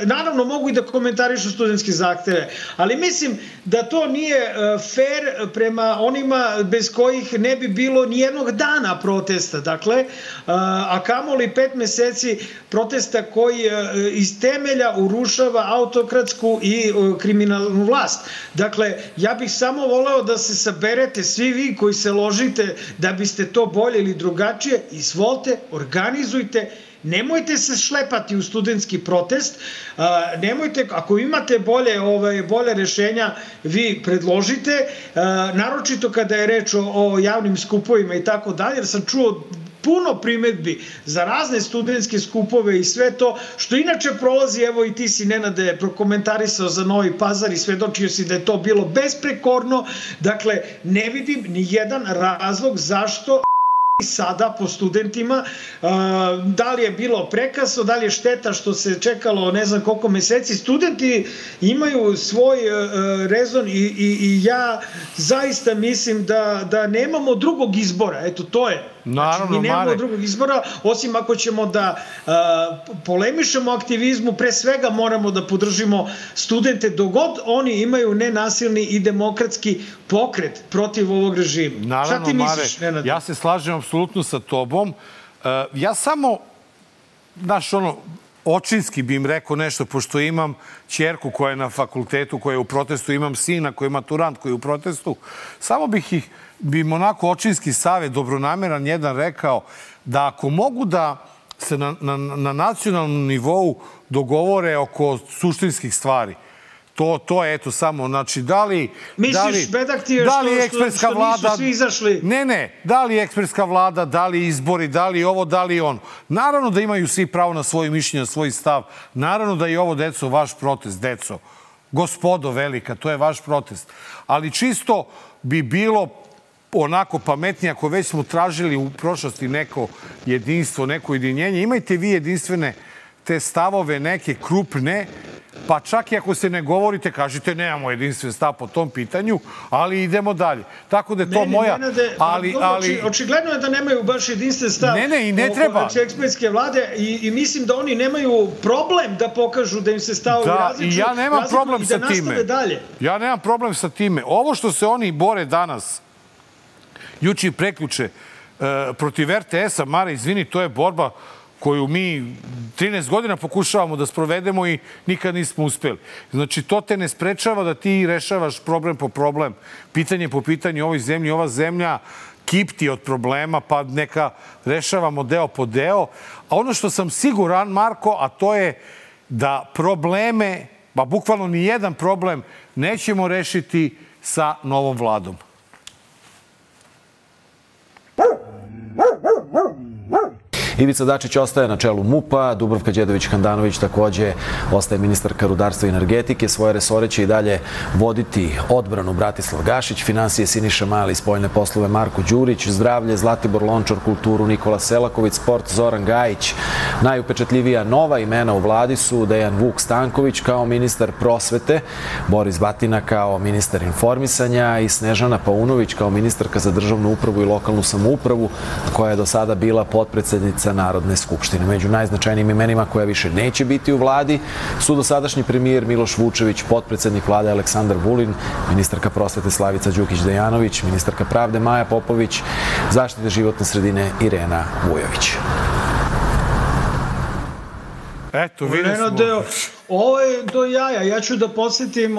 naravno mogu i da komentarišu studentske zahteve, ali mislim da to nije fair prema onima bez kojih ne bi bilo nijednog dana protesta, dakle, a kamoli 5 meseci protesta koji iz temelja urušava autokratsku i kriminalnu vlast. Dakle, ja bih samo voleo da se saberete svi vi koji se ložite da biste to bolje ili drugačije, izvolite, organizujte, nemojte se šlepati u studentski protest, nemojte, ako imate bolje rešenja, vi predložite, naročito kada je reč o javnim skupovima i tako dalje, jer sam čuo puno primetbi za razne studentske skupove i sve to, što inače prolazi, evo i ti si, Nenade, prokomentarisao za Novi Pazar i svedočio si da je to bilo besprekorno, dakle, ne vidim ni jedan razlog zašto sada po studentima, da li je bilo prekasno, da li je šteta što se čekalo ne znam koliko meseci. Studenti imaju svoj rezon i ja zaista mislim da nemamo drugog izbora. Eto, to je. Znači, mi nemamo drugog izbora, osim ako ćemo da polemišemo aktivizmu, pre svega moramo da podržimo studente dogod oni imaju nenasilni i demokratski pokret protiv ovog režima. Naravno, šta ti misliš, Nenad? Ja se slažem apsolutno sa tobom. Ja samo, očinski bi im rekao nešto, pošto imam ćerku koja je na fakultetu, koja je u protestu, imam sina koji je maturant, koji je u protestu, samo bi im onako očinski savjet, dobronameran jedan rekao, da ako mogu da se na nacionalnom nivou dogovore oko suštinskih stvari, to je eto samo, znači, da li... Misliš, bedak ti je što nisu svi izašli? Ne, da li ekspertska vlada, da li izbori, da li ovo, da li ono. Naravno da imaju svi pravo na svoje mišljenje, na svoj stav. Naravno da je ovo, deco, vaš protest, deco. Gospodo velika, to je vaš protest. Ali čisto bi bilo onako pametnije, ako već smo tražili u prošlosti neko jedinstvo, neko ujedinjenje, imajte vi jedinstvene te stavove, neke krupne, pa čak i ako se ne govorite, kažete nemamo jedinstven stav po tom pitanju, ali idemo dalje. Tako da je to moja... Očigledno je da nemaju baš jedinstven stav i ne treba. Oko ekspertske vlade i mislim da oni nemaju problem da pokažu da im se stavovi različuju. I ja nemam problem sa time. Dalje. Ja nemam problem sa time. Ovo što se oni bore danas, juče i preključe, protiv RTS-a, Mare, izvini, to je borba koju mi 13 godina pokušavamo da sprovedemo i nikad nismo uspeli. Znači, to te ne sprečava da ti rešavaš problem po problem, pitanje po pitanju ovoj zemlji. Ova zemlja kipti od problema, pa neka rešavamo deo po deo. A ono što sam siguran, Marko, a to je da probleme, bukvalno ni jedan problem, nećemo rešiti sa novom vladom. Ivica Dačić ostaje na čelu MUP-a, Dubravka Đedović-Handanović takođe ostaje ministarka rudarstva i energetike. Svoje resore će i dalje voditi odbranu Bratislav Gašić, finansije Siniša Mali, spoljne poslove Marko Đurić, zdravlje Zlatibor Lončar, kulturu Nikola Selaković, sport Zoran Gajić. Najupečatljivija nova imena u vladi su Dejan Vuk Stanković kao ministar prosvete, Boris Batina kao ministar informisanja i Snežana Paunović kao ministarka za državnu upravu i lokalnu samoupravu, koja je do sada bila potpredsednica Narodne skupštine. Među najznačajnijim imenima koja više neće biti u vladi su dosadašnji premijer Miloš Vučević, potpredsednik vlade Aleksandar Vulin, ministarka prosvete Slavica Đukić-Dejanović, ministarka pravde Maja Popović, zaštite životne sredine Irena Vujović. Eto, videli smo. Ovo je do jaja. Ja ću da podsjetim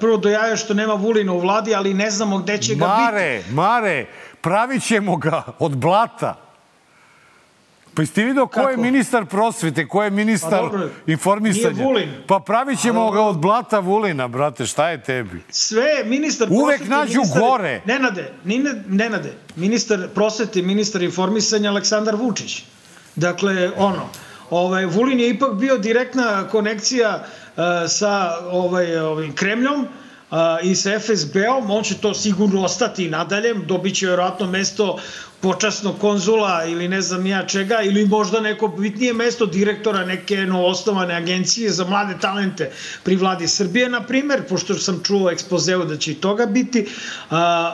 prvo do jaja što nema Vulina u vladi, ali ne znamo gde će ga biti. Mare, pravit ćemo ga od blata. Pa jeste vidio ko je ministar prosvete, ko je ministar informisanja? Nije Vulin. Pa pravit ćemo ga od blata Vulina, brate, šta je tebi? Sve ministar prosvete... Uvek nađu gore. Nenade, ministar prosvete i ministar informisanja Aleksandar Vučić. Dakle, Vulin je ipak bio direktna konekcija sa Kremljom, i sa FSB-om, on će to sigurno ostati i nadalje, dobit će vjerojatno mesto počasnog konzula ili ne znam ja čega, ili možda neko bitnije mesto direktora neke novoosnovane agencije za mlade talente pri vladi Srbije, na primer, pošto sam čuo ekspozeu da će i toga biti.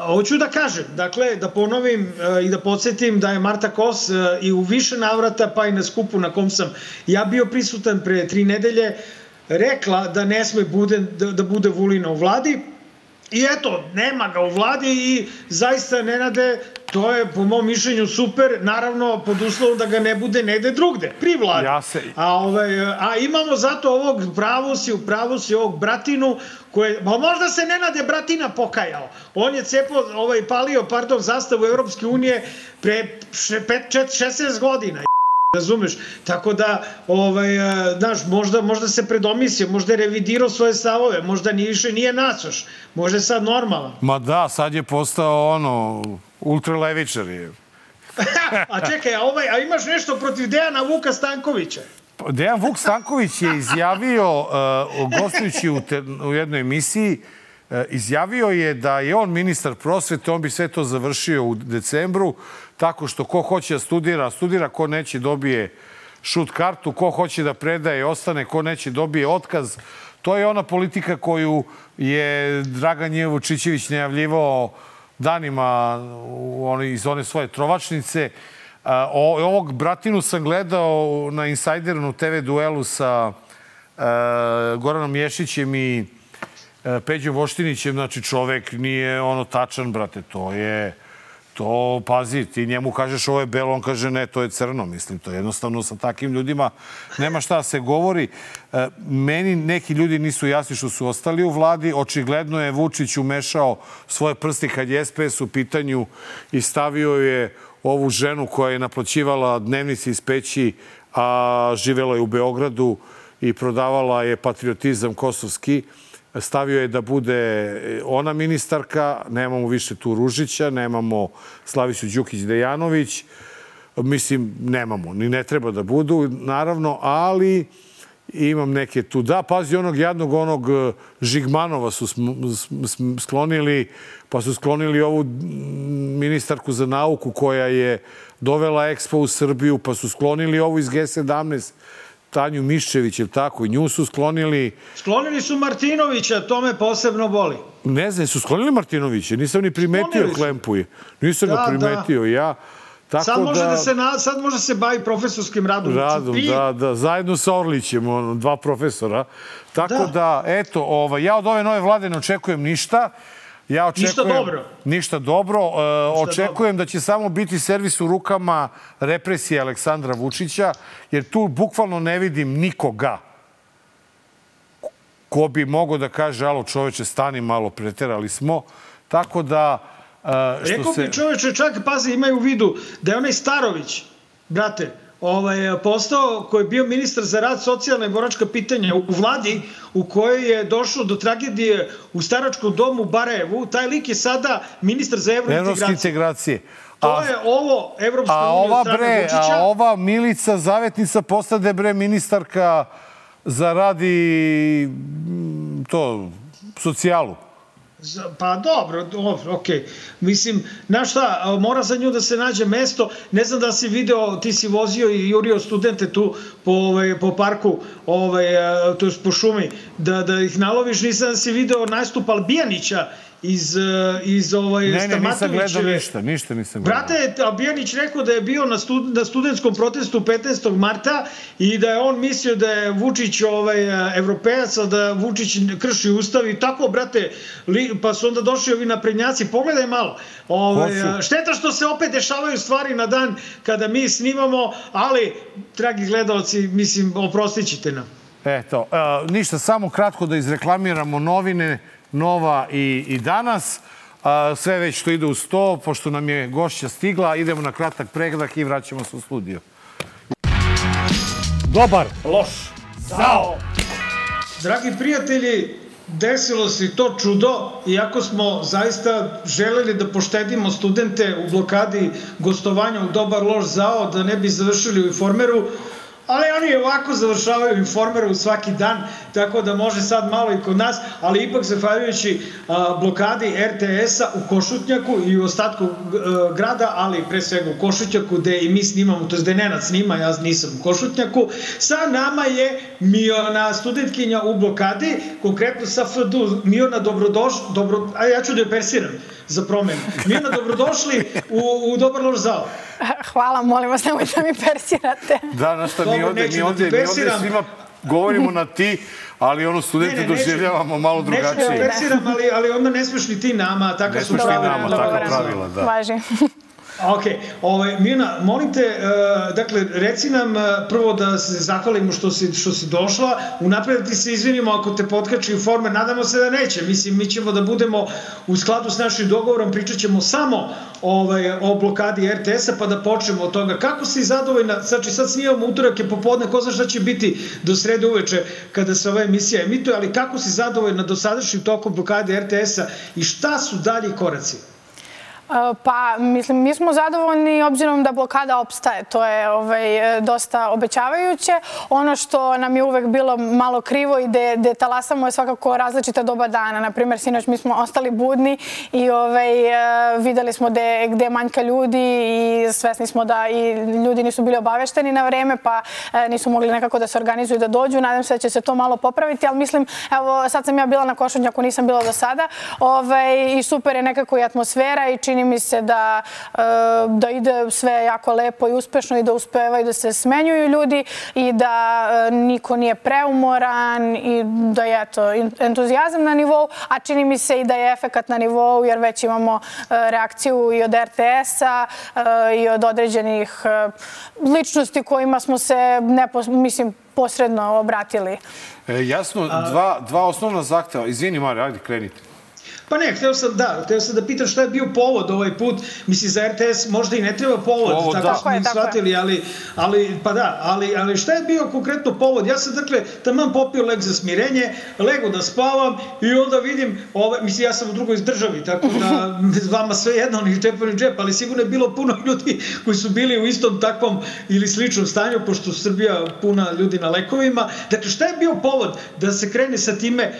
Hoću da kažem, dakle, da ponovim i da podsjetim da je Marta Kos i u više navrata, pa i na skupu na kom sam ja bio prisutan pre 3 nedelje, rekla da ne sme da bude Vulina u vladi i eto, nema ga u vladi i zaista, Nenade, to je po mom mišljenju super, naravno pod uslovom da ga ne bude negde drugde, pri vladi. A imamo zato ovog pravu si ovog Bratinu, možda se Nenade Bratina pokajao. On je palio zastavu Evropske unije pre 16 godina. Razumeš? Tako da, znaš, možda se predomislio, možda je revidirao svoje stavove, možda više nije nacoš, možda je sad normalan. Ma sad je postao ultralevičar je. A čekaj, a imaš nešto protiv Dejana Vuka Stankovića? Dejan Vuk Stanković je izjavio, gostujući u jednoj emisiji, izjavio je da je on ministar prosvete, on bi sve to završio u decembru, tako što ko hoće da studira, ko neće dobije šut kartu, ko hoće da predaje ostane, ko neće dobije otkaz. To je ona politika koju je Dragan J. Vučićević najavljivao danima iz one svoje trovačnice. Ovog Bratinu sam gledao na Insajderu TV duelu sa Goranom Ješićem i Peđom Voštinićem, znači čovek nije tačan, brate, pazi, ti njemu kažeš ovo je belo, on kaže ne, to je crno, mislim, to je jednostavno sa takvim ljudima nema šta da se govori. Meni neki ljudi nisu jasni što su ostali u vladi, očigledno je Vučić umešao svoje prsti kad je SPS u pitanju i stavio je ovu ženu koja je naplaćivala dnevnice iz Peći, a živela je u Beogradu i prodavala je patriotizam kosovski. Stavio je da bude ona ministarka, nemamo više tu Ružića, nemamo Slavicu Đukić-Dejanović, mislim, nemamo, ni ne treba da budu, naravno, ali imam neke tu. Da, pazi, onog Žigmanova su sklonili, pa su sklonili ovu ministarku za nauku koja je dovela Expo u Srbiju, pa su sklonili ovu iz G17, Tanju Miščević, je li tako? I nju su sklonili... Sklonili su Martinovića, to me posebno boli. Ne znam, su sklonili Martinovića? Nisam ni primetio Klempuje. Nisam ga primetio ja. Sad može da se bavi profesorskim radom. Da. Zajedno sa Orlićem, 2 profesora. Tako da, eto, ja od ove nove vlade ne očekujem ništa. Ništa dobro. Očekujem da će samo biti servis u rukama represije Aleksandra Vučića, jer tu bukvalno ne vidim nikoga ko bi mogao da kaže, alo čoveče, stani malo, preterali smo. Tako da... Rekao bi čoveče, čak, pazi, imaju u vidu da je onaj Starović, brate, postao, koji je bio ministar za rad, socijalna i boračka pitanja u vladi u kojoj je došlo do tragedije u staračkom domu u Barajevu. Taj lik je sada ministar za evropske integracije. To je ovo Evropska unija od strane Vučića. A ova Milica Zavetnica postade ministarka za rad i socijalu. Pa dobro, okej. Mislim, znaš šta, mora za nju da se nađe mesto. Ne znam da si video, ti si vozio i jurio studente tu po parku, to je po šumi, da ih naloviš. Nisam da si video nastup Albijanića iz Stamatovićeve. Ne, nisam gledao ništa nisam gledao. Brate, Albijanić rekao da je bio na studentskom protestu 15. marta i da je on mislio da je Vučić evropejac, da Vučić krši ustav i tako, brate, pa su onda došli ovi naprednjaci. Pogledaj malo. Šteta što se opet dešavaju stvari na dan kada mi snimamo, ali, dragi gledalci, mislim, oprostit ćete nam. Eto, ništa, samo kratko da izreklamiramo novine, Nova i Danas. Sve već što ide u 100, pošto nam je gošća stigla, idemo na kratak pregled i vraćamo se u studio. Dobar. Loš. Zao. Dragi prijatelji, desilo se to čudo, iako smo zaista želeli da poštedimo studente u blokadi gostovanja u Dobar, loš, zao, da ne bi završili u Informeru. ali oni ovako završavaju Informeru svaki dan, tako da može sad malo i kod nas, ali ipak zahvaljujući blokadi RTS-a u Košutnjaku i u ostatku grada, ali pre svega u Košutnjaku, gde i mi snimamo, to je gde Nenad snima, ja nisam u Košutnjaku, sa nama je Miona, studentkinja u blokadi, konkretno sa FDU. Miona, ja ću da je persiram za promenu. Miona, dobrodošli u Dobar loš zao. Hvala, molim vas, nemojte mi persirate. Da, znaš šta, mi ovde svima govorimo na ti, ali studenti doživljavamo malo drugačije. Neću da persiram, ali onda ne smeš ni ti nama, tako su pravila. Ne smeš ni nama, tako pravila, da. Važi. Ok, Mijana, molim te, dakle, reci nam prvo da se zahvalimo što si došla, unapred ti se izvinimo ako te potkači Informer, nadamo se da neće, mislim, mi ćemo da budemo u skladu s našim dogovorom, pričat ćemo samo o blokadi RTS-a, pa da počnemo od toga. Kako si zadovoljna, znači sad snimamo utorak je popodne, ko zna šta će biti do srede uveče kada se ova emisija emituje, ali kako si zadovoljna dosadašnjim tokom blokade RTS-a i šta su dalji koraci? Pa, mislim, mi smo zadovoljni obzirom da blokada opstaje. To je dosta obećavajuće. Ono što nam je uvek bilo malo krivo i gde talasamo je svakako različita doba dana. Naprimjer, sinoć mi smo ostali budni i videli smo gde manjka ljudi i svesni smo da i ljudi nisu bili obavešteni na vreme, pa nisu mogli nekako da se organizuju da dođu. Nadam se da će se to malo popraviti, ali mislim, evo, sad sam ja bila na Košutnjaku, nisam bila do sada i super je nekako i atmosfera i čini mi se da ide sve jako lepo i uspešno i da uspevaju da se smenjuju ljudi i da niko nije preumoran i da je entuzijazam na nivou, a čini mi se i da je efekat na nivou jer već imamo reakciju i od RTS-a i od određenih ličnosti kojima smo se, mislim, posredno obratili. Jasno, dva osnovna zahteva. Izvini, Mare, ajde, krenite. Pa ne, hteo sam da pitam šta je bio povod ovaj put. Mislim, za RTS možda i ne treba povod, tako smo mi shvatili, ali šta je bio konkretno povod? Ja sam, dakle, taman popio lek za smirenje, lego da spavam i onda vidim, mislim, ja sam u drugoj državi, tako da vama sve jedno, ni džep, ni džep, ali sigurno je bilo puno ljudi koji su bili u istom takvom ili sličnom stanju, pošto Srbija puna ljudi na lekovima. Dakle, šta je bio povod da se krene sa time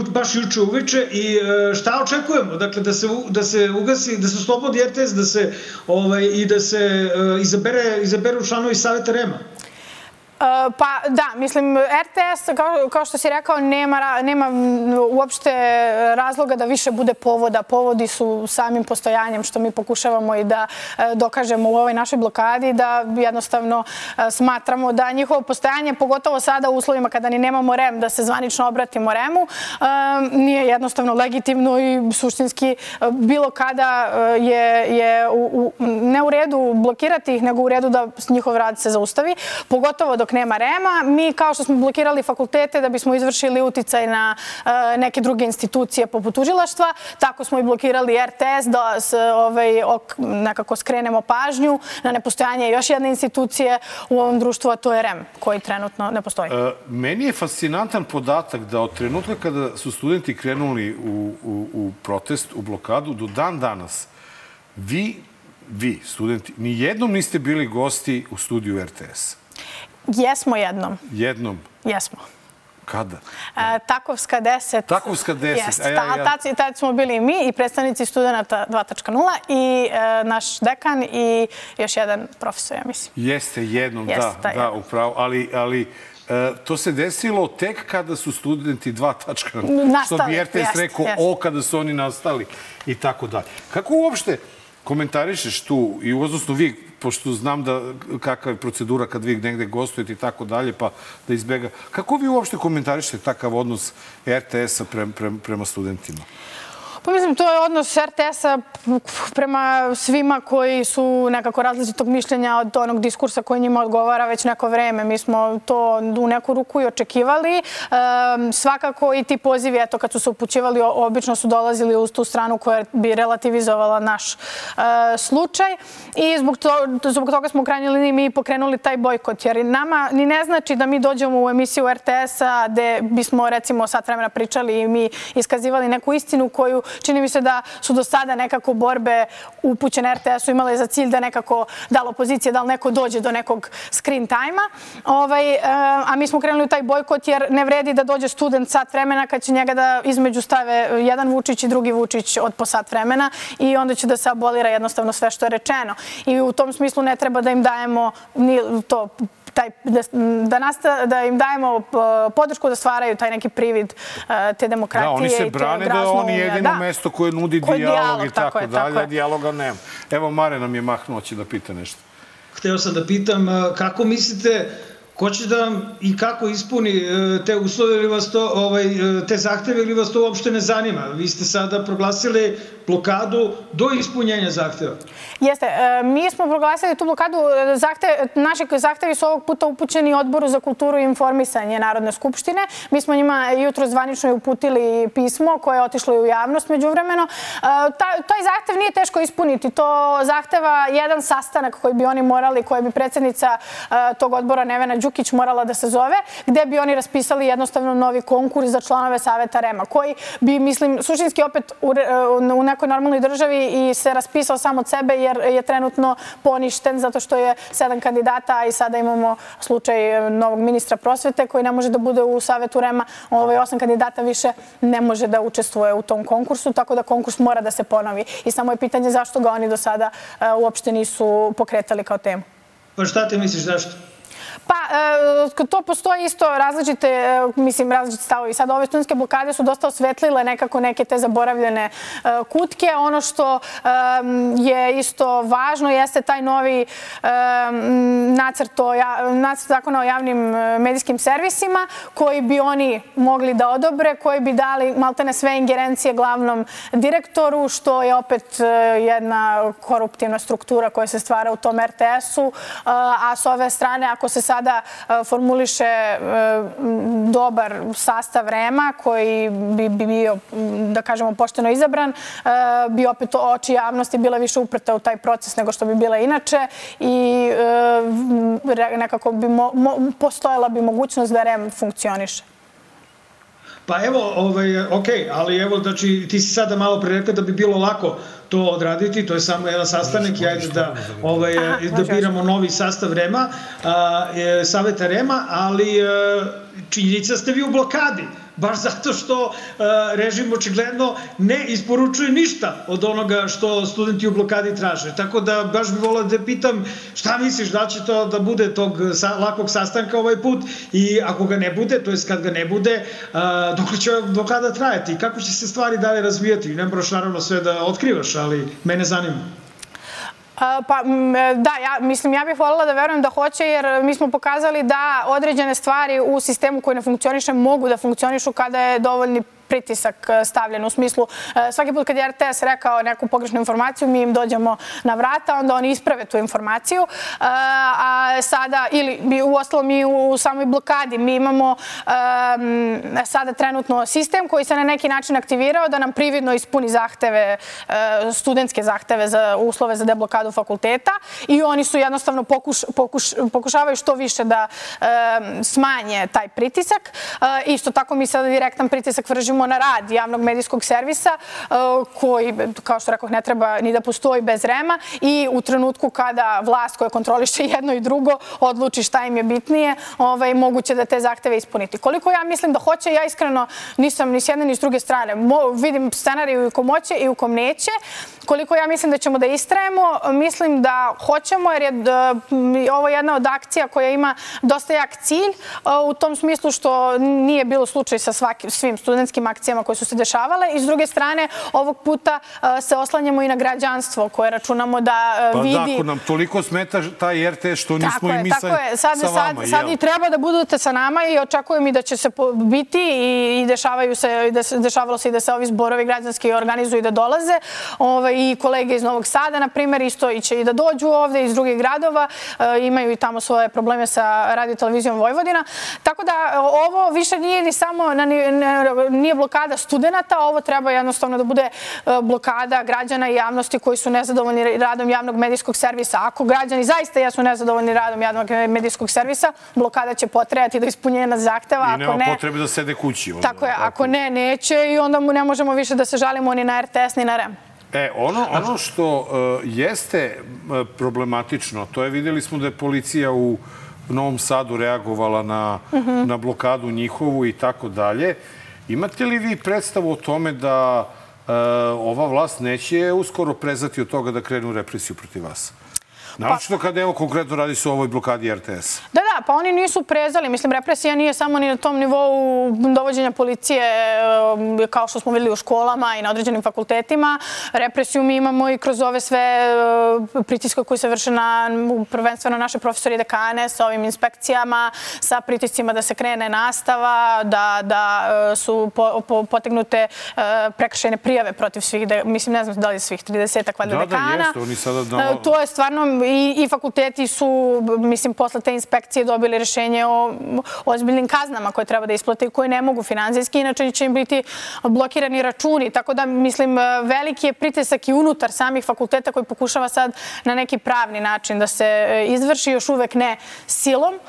baš juče uveče i šta očekujemo? Dakle, da se ugasi, da se oslobodi RTS, i da se izaberu članovi Saveta REM-a? Pa da, mislim, RTS, kao što si rekao, nema uopšte razloga da više bude povoda. Povodi su samim postojanjem, što mi pokušavamo i da dokažemo u ovoj našoj blokadi, da jednostavno smatramo da njihovo postojanje, pogotovo sada u uslovima kada ni nemamo REM, da se zvanično obratimo REM-u, nije jednostavno legitimno i suštinski bilo kada je ne u redu blokirati ih, nego u redu da njihov rad se zaustavi, pogotovo dok nema REM-a. Mi, kao što smo blokirali fakultete da bismo izvršili uticaj na neke druge institucije poput tužilaštva, tako smo i blokirali RTS da nekako skrenemo pažnju na nepostojanje još jedne institucije u ovom društvu, a to je REM, koji trenutno ne postoji. Meni je fascinantan podatak da od trenutka kada su studenti krenuli u protest, u blokadu, do dan danas, vi, studenti, nijednom niste bili gosti u studiju RTS. Jesmo jednom. Jednom? Jesmo. Kada? Takovska 10. Takovska 10. Tad smo bili i mi i predstavnici studenta 2.0 i naš dekan i još jedan profesor, ja mislim. Jeste jednom, da, upravo. Ali to se desilo tek kada su studenti 2.0, što bi RTS rekao, kada su oni nastali i tako dalje. Kako uopšte komentarišeš tu, i odnosno vi, pošto znam kakva je procedura kad vi negde gostujete i tako dalje, pa da izbega. Kako vi uopšte komentarišete takav odnos RTS-a prema studentima? Pa mislim, to je odnos RTS-a prema svima koji su nekako različitog mišljenja od onog diskursa koji njima odgovara već neko vreme. Mi smo to u neku ruku i očekivali. Svakako i ti pozivi, eto, kad su se upućivali, obično su dolazili uz tu stranu koja bi relativizovala naš slučaj. I zbog toga smo u krajnjoj liniji mi pokrenuli taj bojkot. Jer nama ni ne znači da mi dođemo u emisiju RTS-a gde bismo, recimo, sat vremena pričali i mi iskazivali neku istinu koju čini mi se da su do sada nekako borbe upućene RTS-u imale za cilj da nekako da li opozicija, da li neko dođe do nekog screen time-a. A mi smo krenuli u taj bojkot jer ne vredi da dođe student sat vremena kad će njega da između stave jedan Vučić i drugi Vučić od po sat vremena i onda će da se abolira jednostavno sve što je rečeno. I u tom smislu ne treba da im dajemo to da im dajemo podršku da stvaraju taj neki privid te demokratije. Da, oni se brane da je on jedino mesto koje nudi dijalog i tako dalje, a dijaloga nema. Evo, Mare nam je mahnuo, će da pita nešto. Hteo sam da pitam kako mislite, ko će da i kako ispuni te uslove ili vas to, te zahteve ili vas to uopšte ne zanima? Vi ste sada proglasili blokadu do ispunjenja zahteva. Jeste. Mi smo proglasili tu blokadu. Naši zahtevi su ovog puta upućeni Odboru za kulturu i informisanje Narodne skupštine. Mi smo njima jutro zvanično uputili pismo koje je otišlo i u javnost međuvremeno. Taj zahtev nije teško ispuniti. To zahteva jedan sastanak koji bi oni morali, koje bi predsjednica tog odbora Nevena Đukić morala da se zove, gde bi oni raspisali jednostavno novi konkurs za članove Saveta REM-a, koji bi, mislim, suštinski opet u nekoj normalnoj državi i se raspisao sam od sebe jer je trenutno poništen zato što je 7 kandidata i sada imamo slučaj novog ministra prosvete koji ne može da bude u Savetu REM-a. 8 kandidata više ne može da učestvuje u tom konkursu, tako da konkurs mora da se ponovi. I samo je pitanje zašto ga oni do sada uopšte nisu pokretali kao temu. Pa šta ti misliš zašto? Pa, to postoji isto različite stavovi. Sad ove studentske blokade su dosta osvetlile nekako neke te zaboravljene kutke. Ono što je isto važno jeste taj novi nacrt zakona o javnim medijskim servisima koji bi oni mogli da odobre, koji bi dali maltene sve ingerencije glavnom direktoru, što je opet jedna koruptivna struktura koja se stvara u tom RTS-u. A s ove strane, ako se sada formuliše dobar sastav REM-a koji bi bio, da kažemo, pošteno izabran, bi opet oči javnosti bila više uprta u taj proces nego što bi bila inače i nekako bi postojala bi mogućnost da REM funkcioniše. Pa evo, okej, ali evo, znači, ti si sada malo pre rekla da bi bilo lako to odraditi, to je samo jedan sastanak i ajde da biramo novi sastav REM-a, Saveta REM-a, ali činjenica ste vi u blokadi, baš zato što režim očigledno ne isporučuje ništa od onoga što studenti u blokadi traže. Tako da baš bih volao da pitam šta misliš, da će to da bude tog lakog sastanka ovaj put i ako ga ne bude, to jest kad ga ne bude, dok će blokada trajati i kako će se stvari dalje razvijati. Ne moraš naravno sve da otkrivaš, ali mene zanima. Pa da, ja bih voljela da verujem da hoće jer mi smo pokazali da određene stvari u sistemu koji ne funkcioniše mogu da funkcionišu kada je dovoljni pritisak stavljen. U smislu, svaki put kad je RTS rekao neku pogrešnu informaciju, mi im dođemo na vrata, onda oni isprave tu informaciju. A sada, ili uostalom i u samoj blokadi, mi imamo sada trenutno sistem koji se na neki način aktivirao da nam prividno ispuni zahteve, studentske zahteve za uslove za deblokadu fakulteta i oni su jednostavno pokušavaju što više da smanje taj pritisak. Isto tako mi sada direktan pritisak vršimo na rad javnog medijskog servisa koji, kao što rekoh, ne treba ni da postoji bez REM-a i u trenutku kada vlast koja kontroliše jedno i drugo odluči šta im je bitnije, moguće da te zahteve ispuniti. Koliko ja mislim da hoće, ja iskreno nisam ni s jedne ni s druge strane. Vidim scenariju u kom hoće i u kom neće. Koliko ja mislim da ćemo da istrajemo, mislim da hoćemo jer je ovo jedna od akcija koja ima dosta jak cilj u tom smislu što nije bilo slučaj sa svim studentskim akcijama koje su se dešavale i s druge strane ovog puta se oslanjamo i na građanstvo koje računamo da vidi... Pa da, ako nam toliko smeta taj RTS što nismo i mi sa vama. Sad i treba da budete sa nama i očekujem i da će se biti i dešavalo se i da se ovi zborovi građanski organizuju i da dolaze i kolege iz Novog Sada, na primjer, isto će i da dođu ovde iz drugih gradova, imaju i tamo svoje probleme sa Radio-televizijom Vojvodina. Tako da ovo više nije ni samo, nije blokada studenta, ovo treba jednostavno da bude blokada građana i javnosti koji su nezadovoljni radom javnog medijskog servisa. Ako građani zaista jesu nezadovoljni radom javnog medijskog servisa, blokada će potrajati do ispunjenja zahteva. I nema potrebe da sede kući. Tako je, ako ne, neće i onda ne možemo više da se žalimo ni na RTS ni na REM. Ono što jeste problematično, to je, vidjeli smo da je policija u Novom Sadu reagovala na blokadu njihovu i tako dalje. Imate li vi predstavu o tome da ova vlast neće uskoro prezati od toga da krenu represiju protiv vas? Naročito kada, evo, konkretno radi se o ovoj blokadi RTS. Da, pa oni nisu prezali. Mislim, represija nije samo ni na tom nivou dovođenja policije, kao što smo videli u školama i na određenim fakultetima. Represiju mi imamo i kroz ove sve pritiske koji se vrše na prvenstveno naše profesori i dekane sa ovim inspekcijama, sa pritiscima da se krene nastava, da su potegnute prekršajne prijave protiv svih, mislim, ne znam da li je svih 30-ak valjda dekana. Da, jeste, oni sada... To je stvarno i fakulteti su, mislim, posle te inspekcije dobili rešenje o ozbiljnim kaznama koje treba da isplate i koje ne mogu finansijski, inače će im biti blokirani računi. Tako da, mislim, veliki je pritisak i unutar samih fakulteta koji pokušava sad na neki pravni način da se izvrši, još uvek ne silom.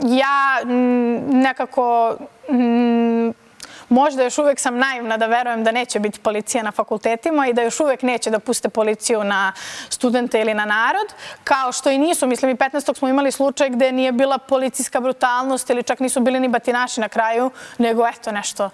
Ja nekako... Možda još uvek sam naivna da verujem da neće biti policija na fakultetima i da još uvek neće da puste policiju na studente ili na narod, kao što i nisu. Mislim, i 15. smo imali slučaj gde nije bila policijska brutalnost ili čak nisu bili ni batinaši na kraju, nego eto nešto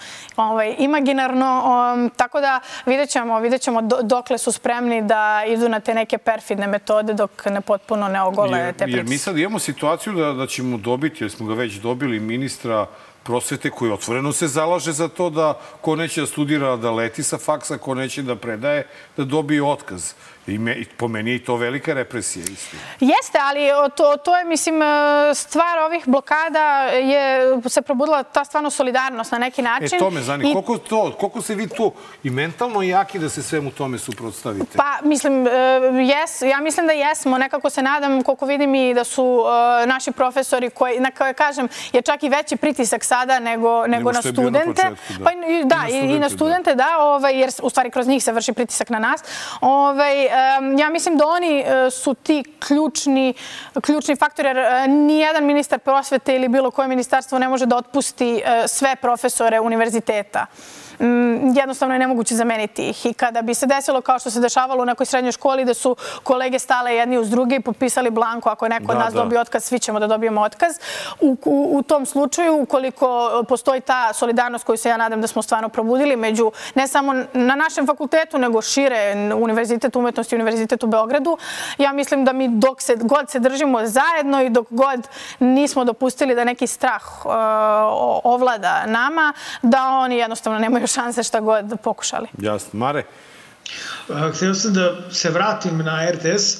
imaginarno. Tako da vidjet ćemo dokle su spremni da idu na te neke perfidne metode dok ne potpuno ne ogole te pritiske. Jer mi sad imamo situaciju da ćemo dobiti, jer smo ga već dobili, ministra prosvete koji otvoreno se zalaže za to da ko neće da studira da leti sa faksa, ko neće da predaje, da dobije otkaz. I po meni je i to velika represija isto. Jeste, ali to je, mislim, stvar ovih blokada se probudila ta stvarno solidarnost na neki način. To me zanima. Koliko se vi tu i mentalno jaki da se svemu tome suprotstavite? Pa, mislim, ja mislim da jesmo. Nekako se nadam, koliko vidim i da su naši profesori koji, na koje kažem, je čak i veći pritisak sada nego na studente. Da, i na studente, da, jer u stvari kroz njih se vrši pritisak na nas. Ja mislim da oni su ti ključni faktori, jer nijedan ministar prosvete ili bilo koje ministarstvo ne može da otpusti sve profesore univerziteta. Jednostavno je nemoguće zameniti ih. I kada bi se desilo kao što se dešavalo u nekoj srednjoj školi da su kolege stale jedni uz druge i potpisali blanko, ako je neko od nas dobio otkaz, svi ćemo da dobijemo otkaz. U tom slučaju, ukoliko postoji ta solidarnost koju se ja nadam da smo stvarno probudili među, ne samo na našem fakultetu, nego šire, Univerzitet umetnosti i Univerzitet u Beogradu, ja mislim da mi dok god se držimo zajedno i dok god nismo dopustili da neki strah ovlada nama, da oni jednostavno nemaju šanse šta god pokušali. Jasno. Mare? Htio sam da se vratim na RTS,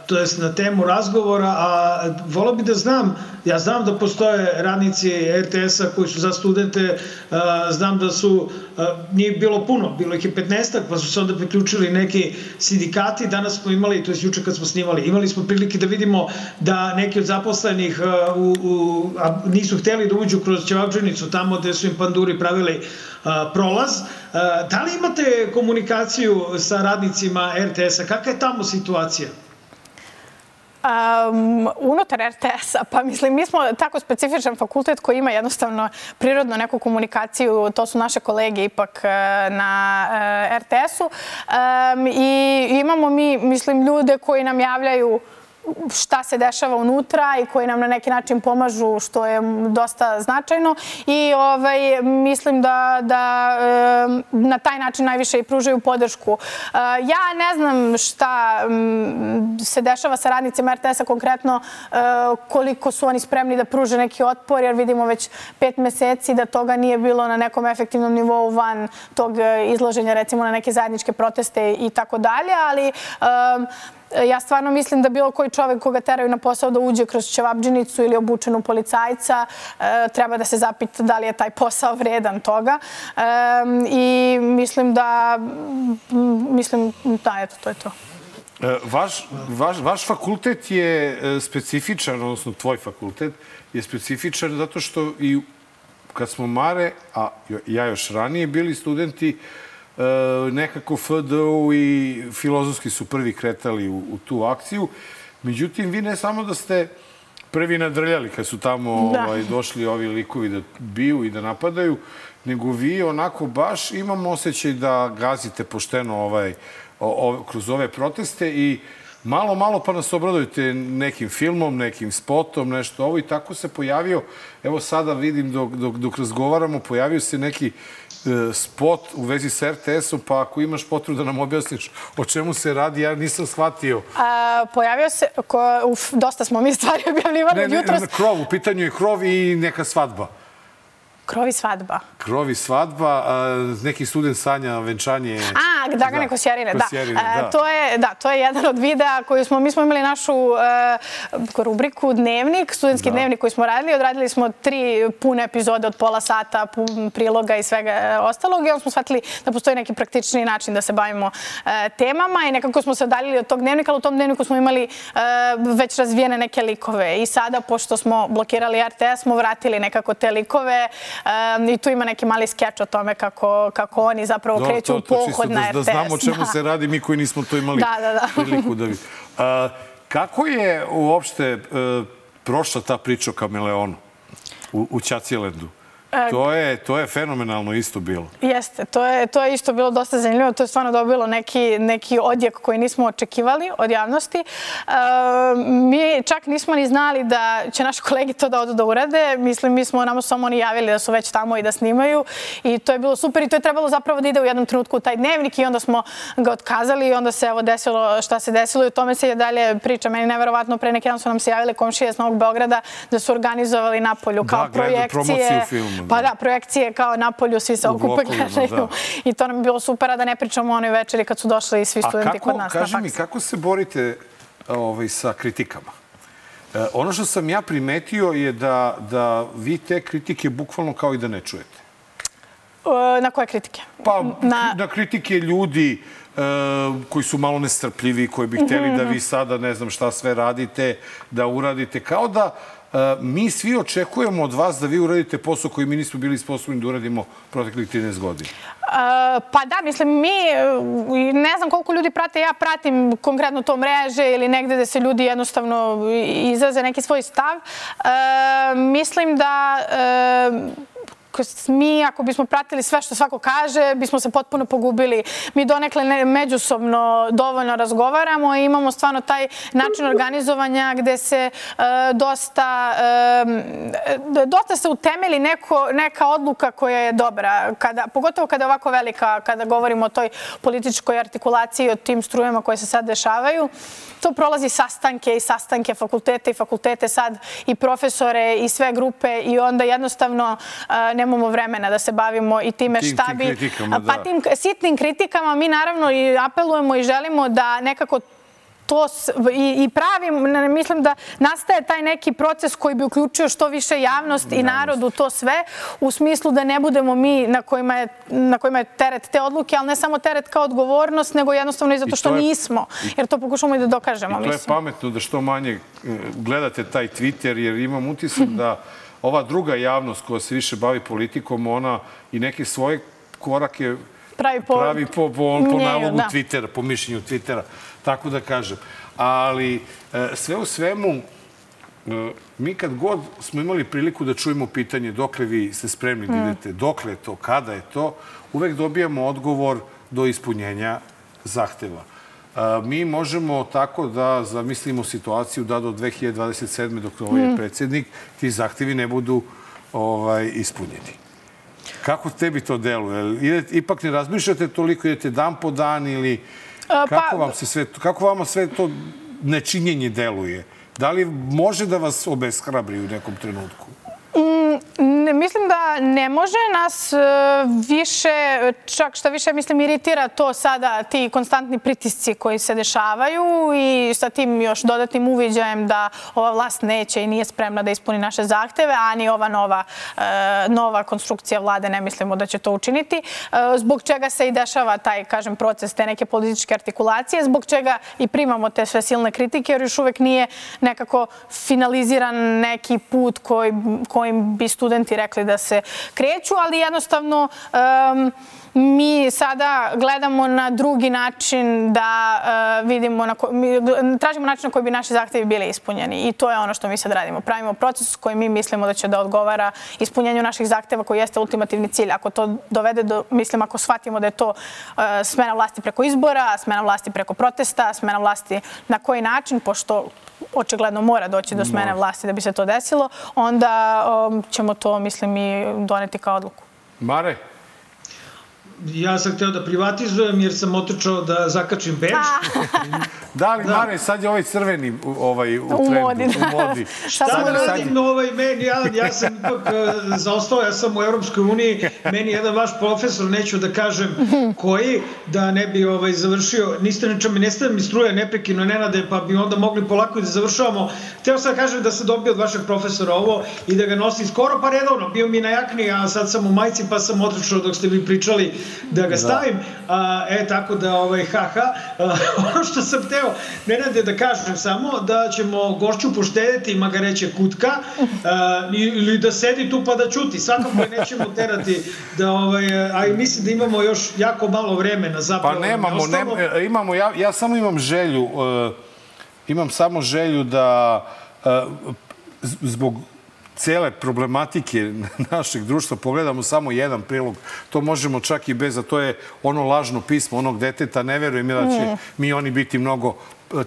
to je na temu razgovora, a volao bi da znam, ja znam da postoje radnici RTS-a koji su za studente, znam da su, nije bilo puno, bilo ih je 15-ak, pa su se onda priključili neki sindikati. Danas smo imali, to je juče kad smo snimali, imali smo prilike da vidimo da neki od zaposlenih nisu hteli da uđu kroz Ćevabdžinicu, tamo gde su im panduri pravili prolaz. Da li imate komunikaciju sa radnicima RTS-a? Kakva je tamo situacija? Unutar RTS-a, pa mislim, mi smo tako specifičan fakultet koji ima jednostavno prirodno neku komunikaciju, to su naše kolege ipak na RTS-u i imamo mi, mislim, ljude koji nam javljaju šta se dešava unutra i koji nam na neki način pomažu, što je dosta značajno i mislim da na taj način najviše i pružaju podršku. Ja ne znam šta se dešava sa radnicima RTS-a konkretno, koliko su oni spremni da pruže neki otpor, jer vidimo već 5 meseci da toga nije bilo na nekom efektivnom nivou van tog izloženja, recimo na neke zajedničke proteste i tako dalje, ali ja stvarno mislim da bilo koji čovek koga teraju na posao da uđe kroz Ćevabdžinicu ili obučenu policajca treba da se zapita da li je taj posao vredan toga. I mislim da, eto, to je to. Vaš fakultet je specifičan, odnosno tvoj fakultet je specifičan zato što i kad smo Mare, a ja još ranije bili studenti, nekako FDU i Filozofski su prvi kretali u tu akciju. Međutim, vi ne samo da ste prvi nadrljali kad su tamo došli ovi likovi da biju i da napadaju, nego vi onako baš imamo osjećaj da gazite pošteno kroz ove proteste i malo pa nas obradujete nekim filmom, nekim spotom, nešto ovo i tako se pojavio. Evo sada vidim dok razgovaramo, pojavio se neki spot u vezi s RTS-om, pa ako imaš potrebu da nam objasniš o čemu se radi, ja nisam shvatio. Pojavio se, dosta smo mi stvari objavljivali jutros. U pitanju je krov i neka svadba. Krov i svadba. Krov i svadba, neki student sanja venčanje... Dragane Kosjerine, da. To je jedan od videa koji mi smo imali našu rubriku Dnevnik, studentski dnevnik koji smo radili. Odradili smo 3 pune epizode od pola sata, priloga i svega ostalog. I onda smo shvatili da postoji neki praktični način da se bavimo temama i nekako smo se odaljili od tog dnevnika, ali u tom dnevniku smo imali već razvijene neke likove. I sada, pošto smo blokirali RTS, smo vratili nekako te likove i tu ima neki mali skeč o tome kako oni zapravo kreću u pohod na RTS. Da znamo o čemu se radi, mi koji nismo to imali priliku da vidimo. Kako je uopšte prošla ta priča o kameleonu u Ćacijelendu? To je fenomenalno isto bilo. Jeste, to je isto bilo dosta zanimljivo. To je stvarno dobilo neki odjek koji nismo očekivali od javnosti. Mi čak nismo ni znali da će naši kolegi to da odu da urade. Mislim, nama su samo oni javili da su već tamo i da snimaju. I to je bilo super i to je trebalo zapravo da ide u jednom trenutku u taj dnevnik i onda smo ga otkazali i onda se evo desilo šta se desilo i o tome se je dalje priča. Meni neverovatno, pre neki dan su nam se javili komšije iz Novog Beograda da su organizovali napolju kao projekcije. Pa da, projekcije kao napolju, svi se okupe gledaju. I to nam je bilo super, a da ne pričamo o onoj večeri kad su došli svi studenti kod nas na faks. Kaži mi, kako se borite sa kritikama? Ono što sam ja primetio je da vi te kritike bukvalno kao i da ne čujete. Na koje kritike? Pa na kritike ljudi koji su malo nestrpljivi, koji bi hteli da vi sada ne znam šta sve radite, da uradite. Kao da mi svi očekujemo od vas da vi uradite posao koji mi nismo bili sposobni da uradimo proteklih 13 godina. Pa da, mislim, ne znam koliko ljudi prate, ja pratim konkretno to mreže ili negde da se ljudi jednostavno izraze neki svoj stav. Mislim da mi, ako bismo pratili sve što svako kaže, bismo se potpuno pogubili. Mi donekle međusobno dovoljno razgovaramo i imamo stvarno taj način organizovanja gde se dosta se utemeli neka odluka koja je dobra. Pogotovo kada je ovako velika, kada govorimo o toj političkoj artikulaciji i o tim strujama koje se sad dešavaju. To prolazi sastanke i sastanke, fakultete i fakultete sad i profesore i sve grupe i onda jednostavno nemamo vremena da se bavimo i time šta bi... Pa tim sitnim kritikama mi naravno i apelujemo i želimo da nekako to i pravim, mislim da nastaje taj neki proces koji bi uključio što više javnost i narod u to sve, u smislu da ne budemo mi na kojima je teret te odluke, ali ne samo teret kao odgovornost, nego jednostavno i zato što nismo, jer to pokušamo i da dokažemo. I to je pametno da što manje gledate taj Twitter, jer imam utisak da ova druga javnost koja se više bavi politikom, ona i neke svoje korake pravi po nalogu Twittera, po mišljenju Twittera, tako da kažem. Ali sve u svemu, mi kad god smo imali priliku da čujemo pitanje dokle vi ste spremni da idete, dokle je to, kada je to, uvek dobijamo odgovor do ispunjenja zahteva. Mi možemo tako da zamislimo situaciju da do 2027. dok ovaj je predsjednik, ti zahtevi ne budu ispunjeni. Kako tebi to deluje? Ipak ne razmišljate toliko, idete dan po dan ili kako vama sve to nečinjenje deluje? Da li može da vas obeshrabri u nekom trenutku? Mislim da ne može nas više, čak šta više, mislim, iritira to sada, ti konstantni pritisci koji se dešavaju i sa tim još dodatnim uviđajem da ova vlast neće i nije spremna da ispuni naše zahteve, a ni ova nova konstrukcija vlade ne mislimo da će to učiniti, zbog čega se i dešava taj, kažem, proces te neke političke artikulacije, zbog čega i primamo te sve silne kritike, jer još uvek nije nekako finaliziran neki put kojim bi studenti rekli da se kreću, ali jednostavno mi sada gledamo na drugi način da vidimo, tražimo način na koji bi naši zahtevi bili ispunjeni i to je ono što mi sad radimo. Pravimo proces koji mi mislimo da će da odgovara ispunjenju naših zahteva koji jeste ultimativni cilj. Ako to dovede do, mislim, ako shvatimo da je to smena vlasti preko izbora, smena vlasti preko protesta, smena vlasti na koji način, pošto očigledno mora doći do smene vlasti da bi se to desilo, onda ćemo to, mislim, i doneti kao odluku. Mare? Ja sam hteo da privatizujem jer sam otrčao da zakačim bedž. Da li, Mare, sad je ovaj crveni u trendu, u modi. Šta da radim meni, ja sam ipak zaostao, ja sam u Evropskoj uniji, meni jedan vaš profesor, neću da kažem koji, da ne bi završio, ne stavim mi struje neprekino, Nenade, pa bi onda mogli polako i da završavamo. Hteo sam da kažem da sam dobio od vašeg profesora ovo i da ga nosim skoro pa redovno, bio mi na jakni, a sad sam u majici pa sam otrčao dok ste vi pričali da ga stavim, tako da ono što sam hteo Nenade da kažem samo da ćemo gošću poštediti, ima ga reće kutka ili da sedi tu pa da čuti, svakako je nećemo terati a i mislim da imamo još jako malo vremena zapravo. Pa nemamo, ja samo imam samo želju da zbog cele problematike našeg društva pogledamo samo jedan prilog. To možemo čak i bez, a to je ono lažno pismo onog deteta. Ne verujem da će mi oni biti mnogo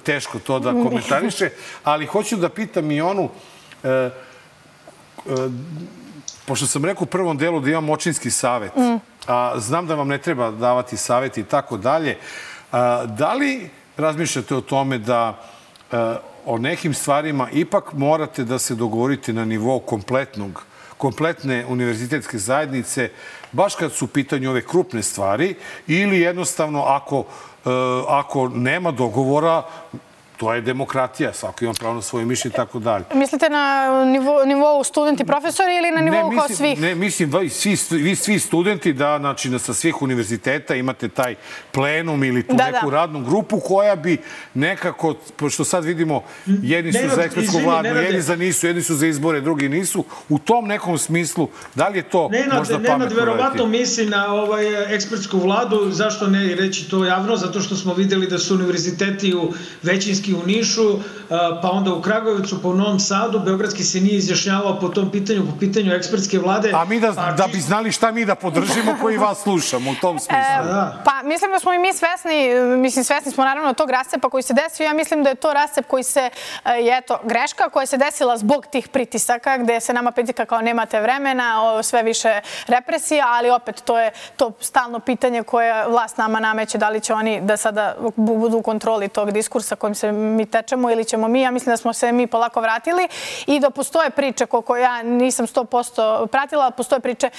teško to da komentariše. Ali hoću da pitam i onu, pošto sam rekao u prvom delu da imam očinski savet, a znam da vam ne treba davati savjet i tako dalje, da li razmišljate o tome da o nekim stvarima ipak morate da se dogovorite na nivou kompletne univerzitetske zajednice, baš kad su u pitanju ove krupne stvari, ili jednostavno ako nema dogovora, to je demokratija, svako ima pravo na svoje mišljenje i tako dalje. Mislite na nivou studenti, profesori ili na nivou kao svih? Ne, mislim, vi svi studenti da, znači, sa svih univerziteta imate taj plenum ili tu neku radnu grupu koja bi nekako, pošto sad vidimo, jedni su za ekspertsku vladu, jedni za nisu, jedni su za izbore, drugi nisu. U tom nekom smislu, da li je to možda pametno? Nenad verovatno misli na ekspertsku vladu, zašto ne reći to javno, zato što smo videli da su univerziteti u većinski u Nišu, pa onda u Kragujevcu, pa u Novom Sadu. Beogradski se nije izjašnjavao po tom pitanju, po pitanju ekspertske vlade. A mi da bi znali šta mi da podržimo koji vas slušamo u tom smislu. Pa mislim da smo i mi svesni smo naravno tog rascepa koji se desio. Ja mislim da je to rascep koji se, greška koja se desila zbog tih pritisaka, gde se nama pritika kao nemate vremena, sve više represija, ali opet to je to stalno pitanje koje vlast nama nameće, da li će oni da sada budu u kontroli tog diskursa kojim se mi tečemo ili ćemo mi. Ja mislim da smo se mi polako vratili i da postoje priče koliko ja nisam 100% pratila, postoje priče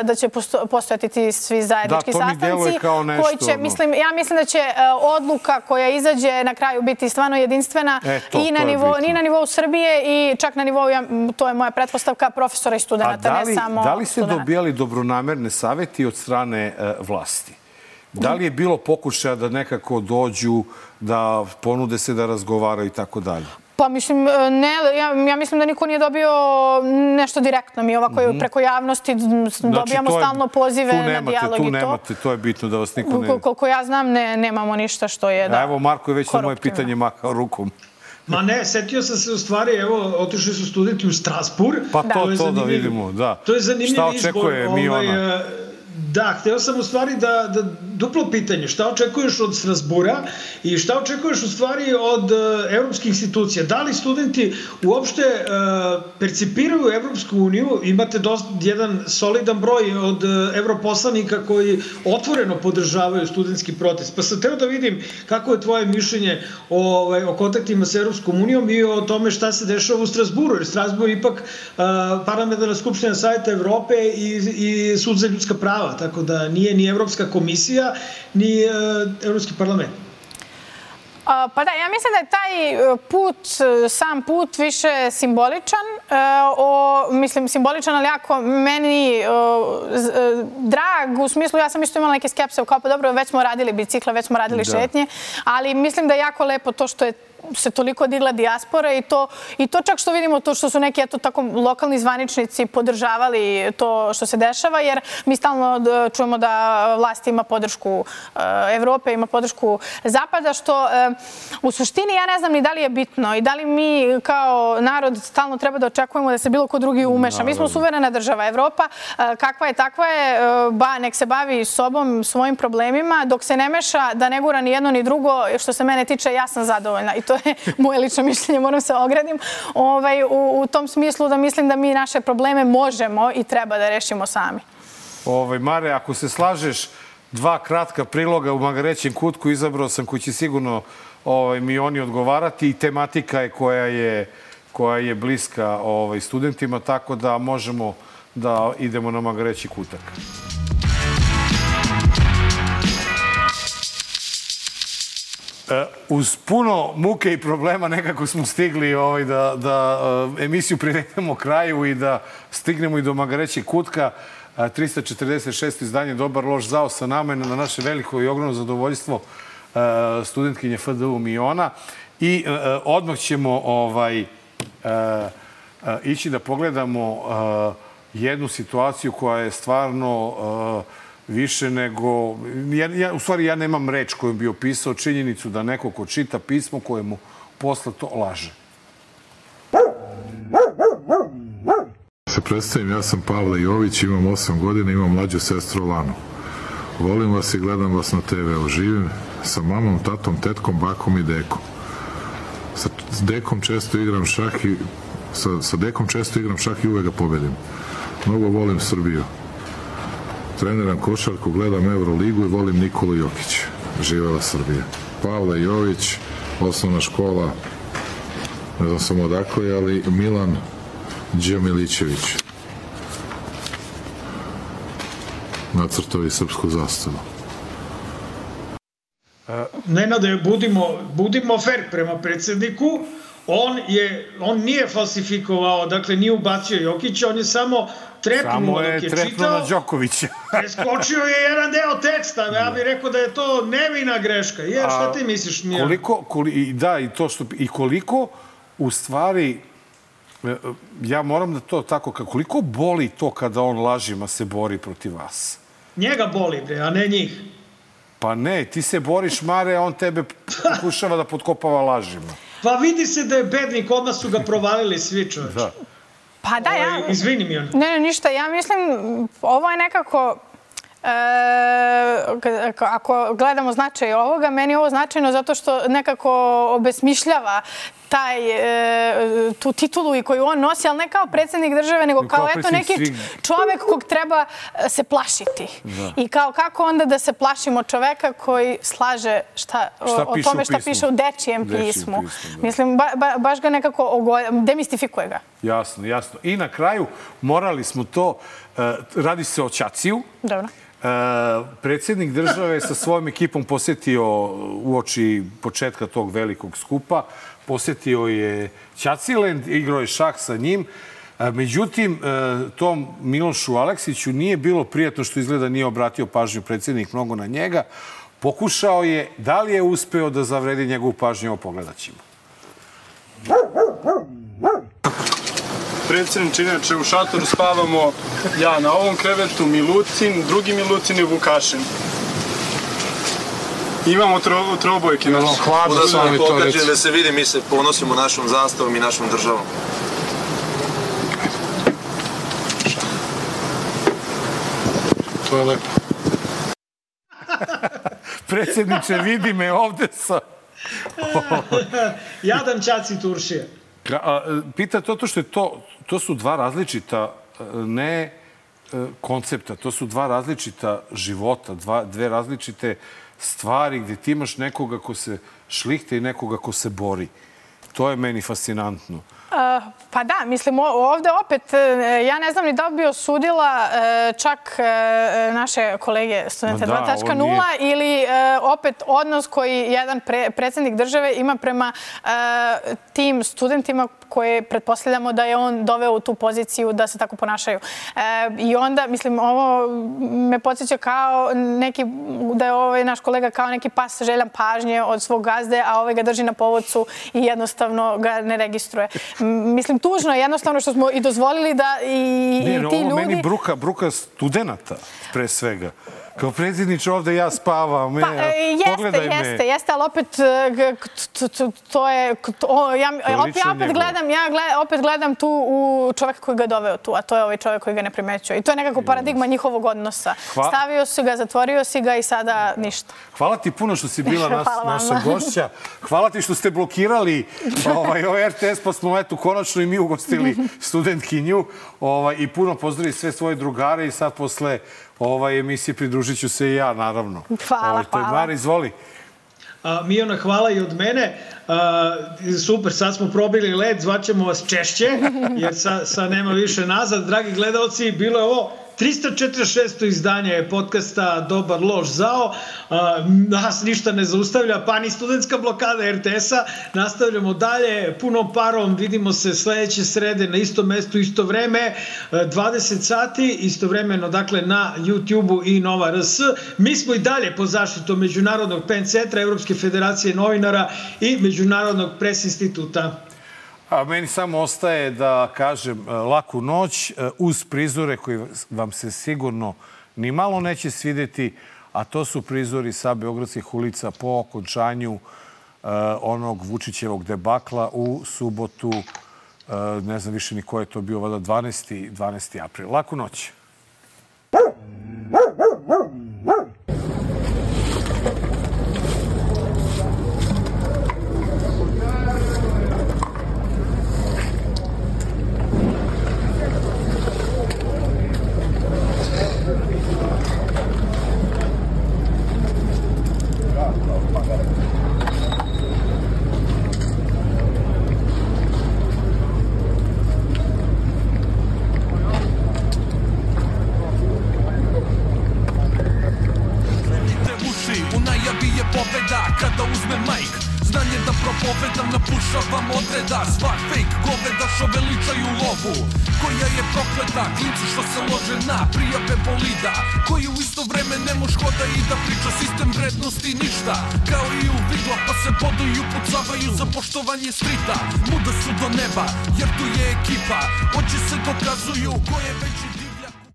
da će postojati ti svi zajednički sastanci. Da, to mi deluje kao nešto. Ja mislim da će odluka koja izađe na kraju biti stvarno jedinstvena i na nivou Srbije i čak na nivou, to je moja pretpostavka, profesora i studenta, ne samo da li ste dobijali dobronamerne savjeti od strane vlasti? Da li je bilo pokušaja da nekako dođu, da ponude se da razgovaraju i tako dalje? Pa mislim, ne, ja mislim da niko nije dobio nešto direktno. Mi ovako preko javnosti dobijamo stalno pozive na dijalog i to. Tu nemate, to je bitno da vas niko ne... Koliko ja znam, nemamo ništa što je da... Evo, Marko je već na moje pitanje mahao rukom. Ma ne, setio sam se u stvari, evo, otišli su studenti u Strasbourg. Pa to da vidimo, da. To je zanimljiv izbor. Šta očekuje Miona? Da, hteo sam u stvari da duplo pitanje, šta očekuješ od Strasbura i šta očekuješ u stvari od evropskih institucija? Da li studenti uopšte percipiraju Evropsku uniju? Imate jedan solidan broj od evroposlanika koji otvoreno podržavaju studentski protest. Pa sam hteo da vidim kako je tvoje mišljenje o kontaktima sa Evropskom unijom i o tome šta se dešava u Strasburu, jer Strasbur je ipak Parlamentarna skupština Saveta Evrope i Sud za ljudska prava, tako da nije ni Evropska komisija, ni Evropski parlament. Pa da, ja mislim da je taj sam put više simboličan. Mislim, simboličan, ali jako meni drag, u smislu, ja sam isto imala neke skepse, kao pa dobro, već smo radili bicikle, već smo radili šetnje, ali mislim da je jako lepo to što je se toliko digla dijaspora i to čak što vidimo to što su neki tako lokalni zvaničnici podržavali to što se dešava, jer mi stalno čujemo da vlast ima podršku Evrope, ima podršku Zapada, što u suštini ja ne znam ni da li je bitno i da li mi kao narod stalno treba da očekujemo da se bilo ko drugi umeša. Mi smo suverena država. Evropa, kakva je, takva je, nek se bavi sobom, svojim problemima, dok se ne meša da ne gura ni jedno ni drugo, što se mene tiče, ja sam zadovoljna. I to je moje lično mišljenje, moram se ogradim. U tom smislu da mislim da mi naše probleme možemo i treba da rešimo sami. Mare, ako se slažeš, 2 kratka priloga u Magarećem kutku izabrao sam koji će sigurno mi oni odgovarati i tematika je koja je bliska studentima, tako da možemo da idemo na Magareći kutak. Uz puno muke i problema nekako smo stigli da emisiju privedemo kraju i da stignemo i do Magarećeg kutka. 346. izdanje Dobar loš zao sa nama na naše veliko i ogromno zadovoljstvo studentkinje FDU Miona. I odmah ćemo ići da pogledamo jednu situaciju koja je stvarno više nego... U stvari, ja nemam reč kojom bi opisao činjenicu da neko ko čita pismo koje mu posle to laže. Se predstavim, ja sam Pavle Jović, imam 8 godina, imam mlađu sestru Lanu. Volim vas i gledam vas na TV-u. Živim sa mamom, tatom, tetkom, bakom i dekom. Sa dekom često igram šah i uvek ga pobedim. Mnogo volim Srbiju. Treniram košarku, gledam Euroligu i volim Nikolu Jokića. Živela Srbija. Pavle Jović, osnovna škola, ne znam samo odakle, ali Milan Đamilićević. Nacrtovi srpsku zastavu. Nenade, budimo fair prema predsjedniku. On nije falsifikovao, dakle nije ubacio Jokića, on je samo trepnuo dok je čitao. Samo je trepnuo na Đokovića. Preskočio je jedan deo teksta, ja bih rekao da je to nevina greška. Šta ti misliš, Mijan? Da, i koliko u stvari, ja moram da to tako, koliko boli to kada on lažima se bori protiv vas? Njega boli, bre, a ne njih. Pa ne, ti se boriš, Mare, a on tebe pokušava da potkopava lažima. Pa vidi se da je bednik, odmah su ga provalili svi, čovječ. Pa da, izvini mi on. Ne, ništa, ja mislim, ovo je nekako, ako gledamo značaj ovoga, meni je ovo značajno zato što nekako obesmišljava tu titulu i koju on nosi, ali ne kao predsjednik države, nego kao neki čovek kog treba se plašiti. I kao kako onda da se plašimo čoveka koji slaže o tome šta piše u dečijem pismu. Mislim, baš ga nekako demistifikuje ga. Jasno, jasno. I na kraju morali smo to, radi se o Ćaciju. Dobro. Predsjednik države sa svojom ekipom posjetio uoči početka tog velikog skupa. Posjetio je Ćaciland, igrao je šah sa njim. Međutim, tom Milošu Aleksiću nije bilo prijatno što izgleda nije obratio pažnju predsjednik mnogo na njega. Pokušao je, da li je uspeo da zavredi njegovu pažnju, ovo pogledat ćemo. Predsjedniče, inače u šatoru spavamo ja na ovom krevetu, Milutin, drugi Milutin i Vukašin. Imamo trobojke. Hladno s vami to reći. Da se vidi, mi se ponosimo našom zastavom i našom državom. To je lepo. Predsjedniče, vidi me ovde sa... Jadan Ćaci Turšija. Pita to što je to su dva različita, ne koncepta, to su dva različita života, dve različite stvari gdje ti imaš nekoga ko se šlihte i nekoga ko se bori. To je meni fascinantno. Pa da, mislim, ovde opet, ja ne znam ni da bi osudila čak naše kolege Studente 2.0 ili opet odnos koji jedan predsjednik države ima prema tim studentima koje pretpostavljamo da je on doveo u tu poziciju da se tako ponašaju. I onda, mislim, ovo me podsjeća kao neki, da je ovaj naš kolega kao neki pas željan pažnje od svog gazde, a ovaj ga drži na povodcu i jednostavno ga ne registruje. Mislim, tužno je jednostavno što smo i dozvolili da i ti ljudi... Ovo meni bruka studenata, pre svega. Kao predsjedniče ovde ja spavam, pogledaj me. Jeste, ali opet to je... Ja opet gledam tu u čoveka koji ga doveo tu, a to je ovaj čovek koji ga ne primećuje. I to je nekako paradigma njihovog odnosa. Stavio si ga, zatvorio si ga i sada ništa. Hvala ti puno što si bila naša gošća. Hvala ti što ste blokirali RTS, pa smo konačno i mi ugostili studentkinju. I puno pozdravi sve svoje drugare i sad posle emisije pridružit ću se i ja, naravno. Hvala. Mari, izvoli. Mijona, hvala i od mene. Super, sad smo probili led, zvaćemo vas češće, jer sad nema više nazad. Dragi gledalci, bilo je ovo 346. izdanje podcasta Dobar, loš, zao. Nas ništa ne zaustavlja, pa ni studentska blokada RTS-a. Nastavljamo dalje, punom parom. Vidimo se sledeće srede na istom mestu, isto vreme, 20 sati, istovremeno, dakle, na YouTube-u i Nova RS. Mi smo i dalje pod zaštitom Međunarodnog PEN centra, Evropske federacije novinara i Međunarodnog pres instituta. A meni samo ostaje da kažem laku noć uz prizore koji vam se sigurno ni malo neće svideti, a to su prizori sa beogradskih ulica po okončanju onog Vučićevog debakla u subotu, ne znam više ni ko je to bio, 12. april. Laku noć. Kada uzme majk, znanje da propovedam, napušavam odreda. Svak fejk goveda što veličaju lovu, koja je prokleta, klincu što se lože na prijave bolida, koji u isto vreme ne moš hoda i da priča sistem vrednosti ništa. Kao i u vidla pa se bodu i upucavaju za poštovanje strita. Muda su do neba jer tu je ekipa, oči se dokazuju ko je veći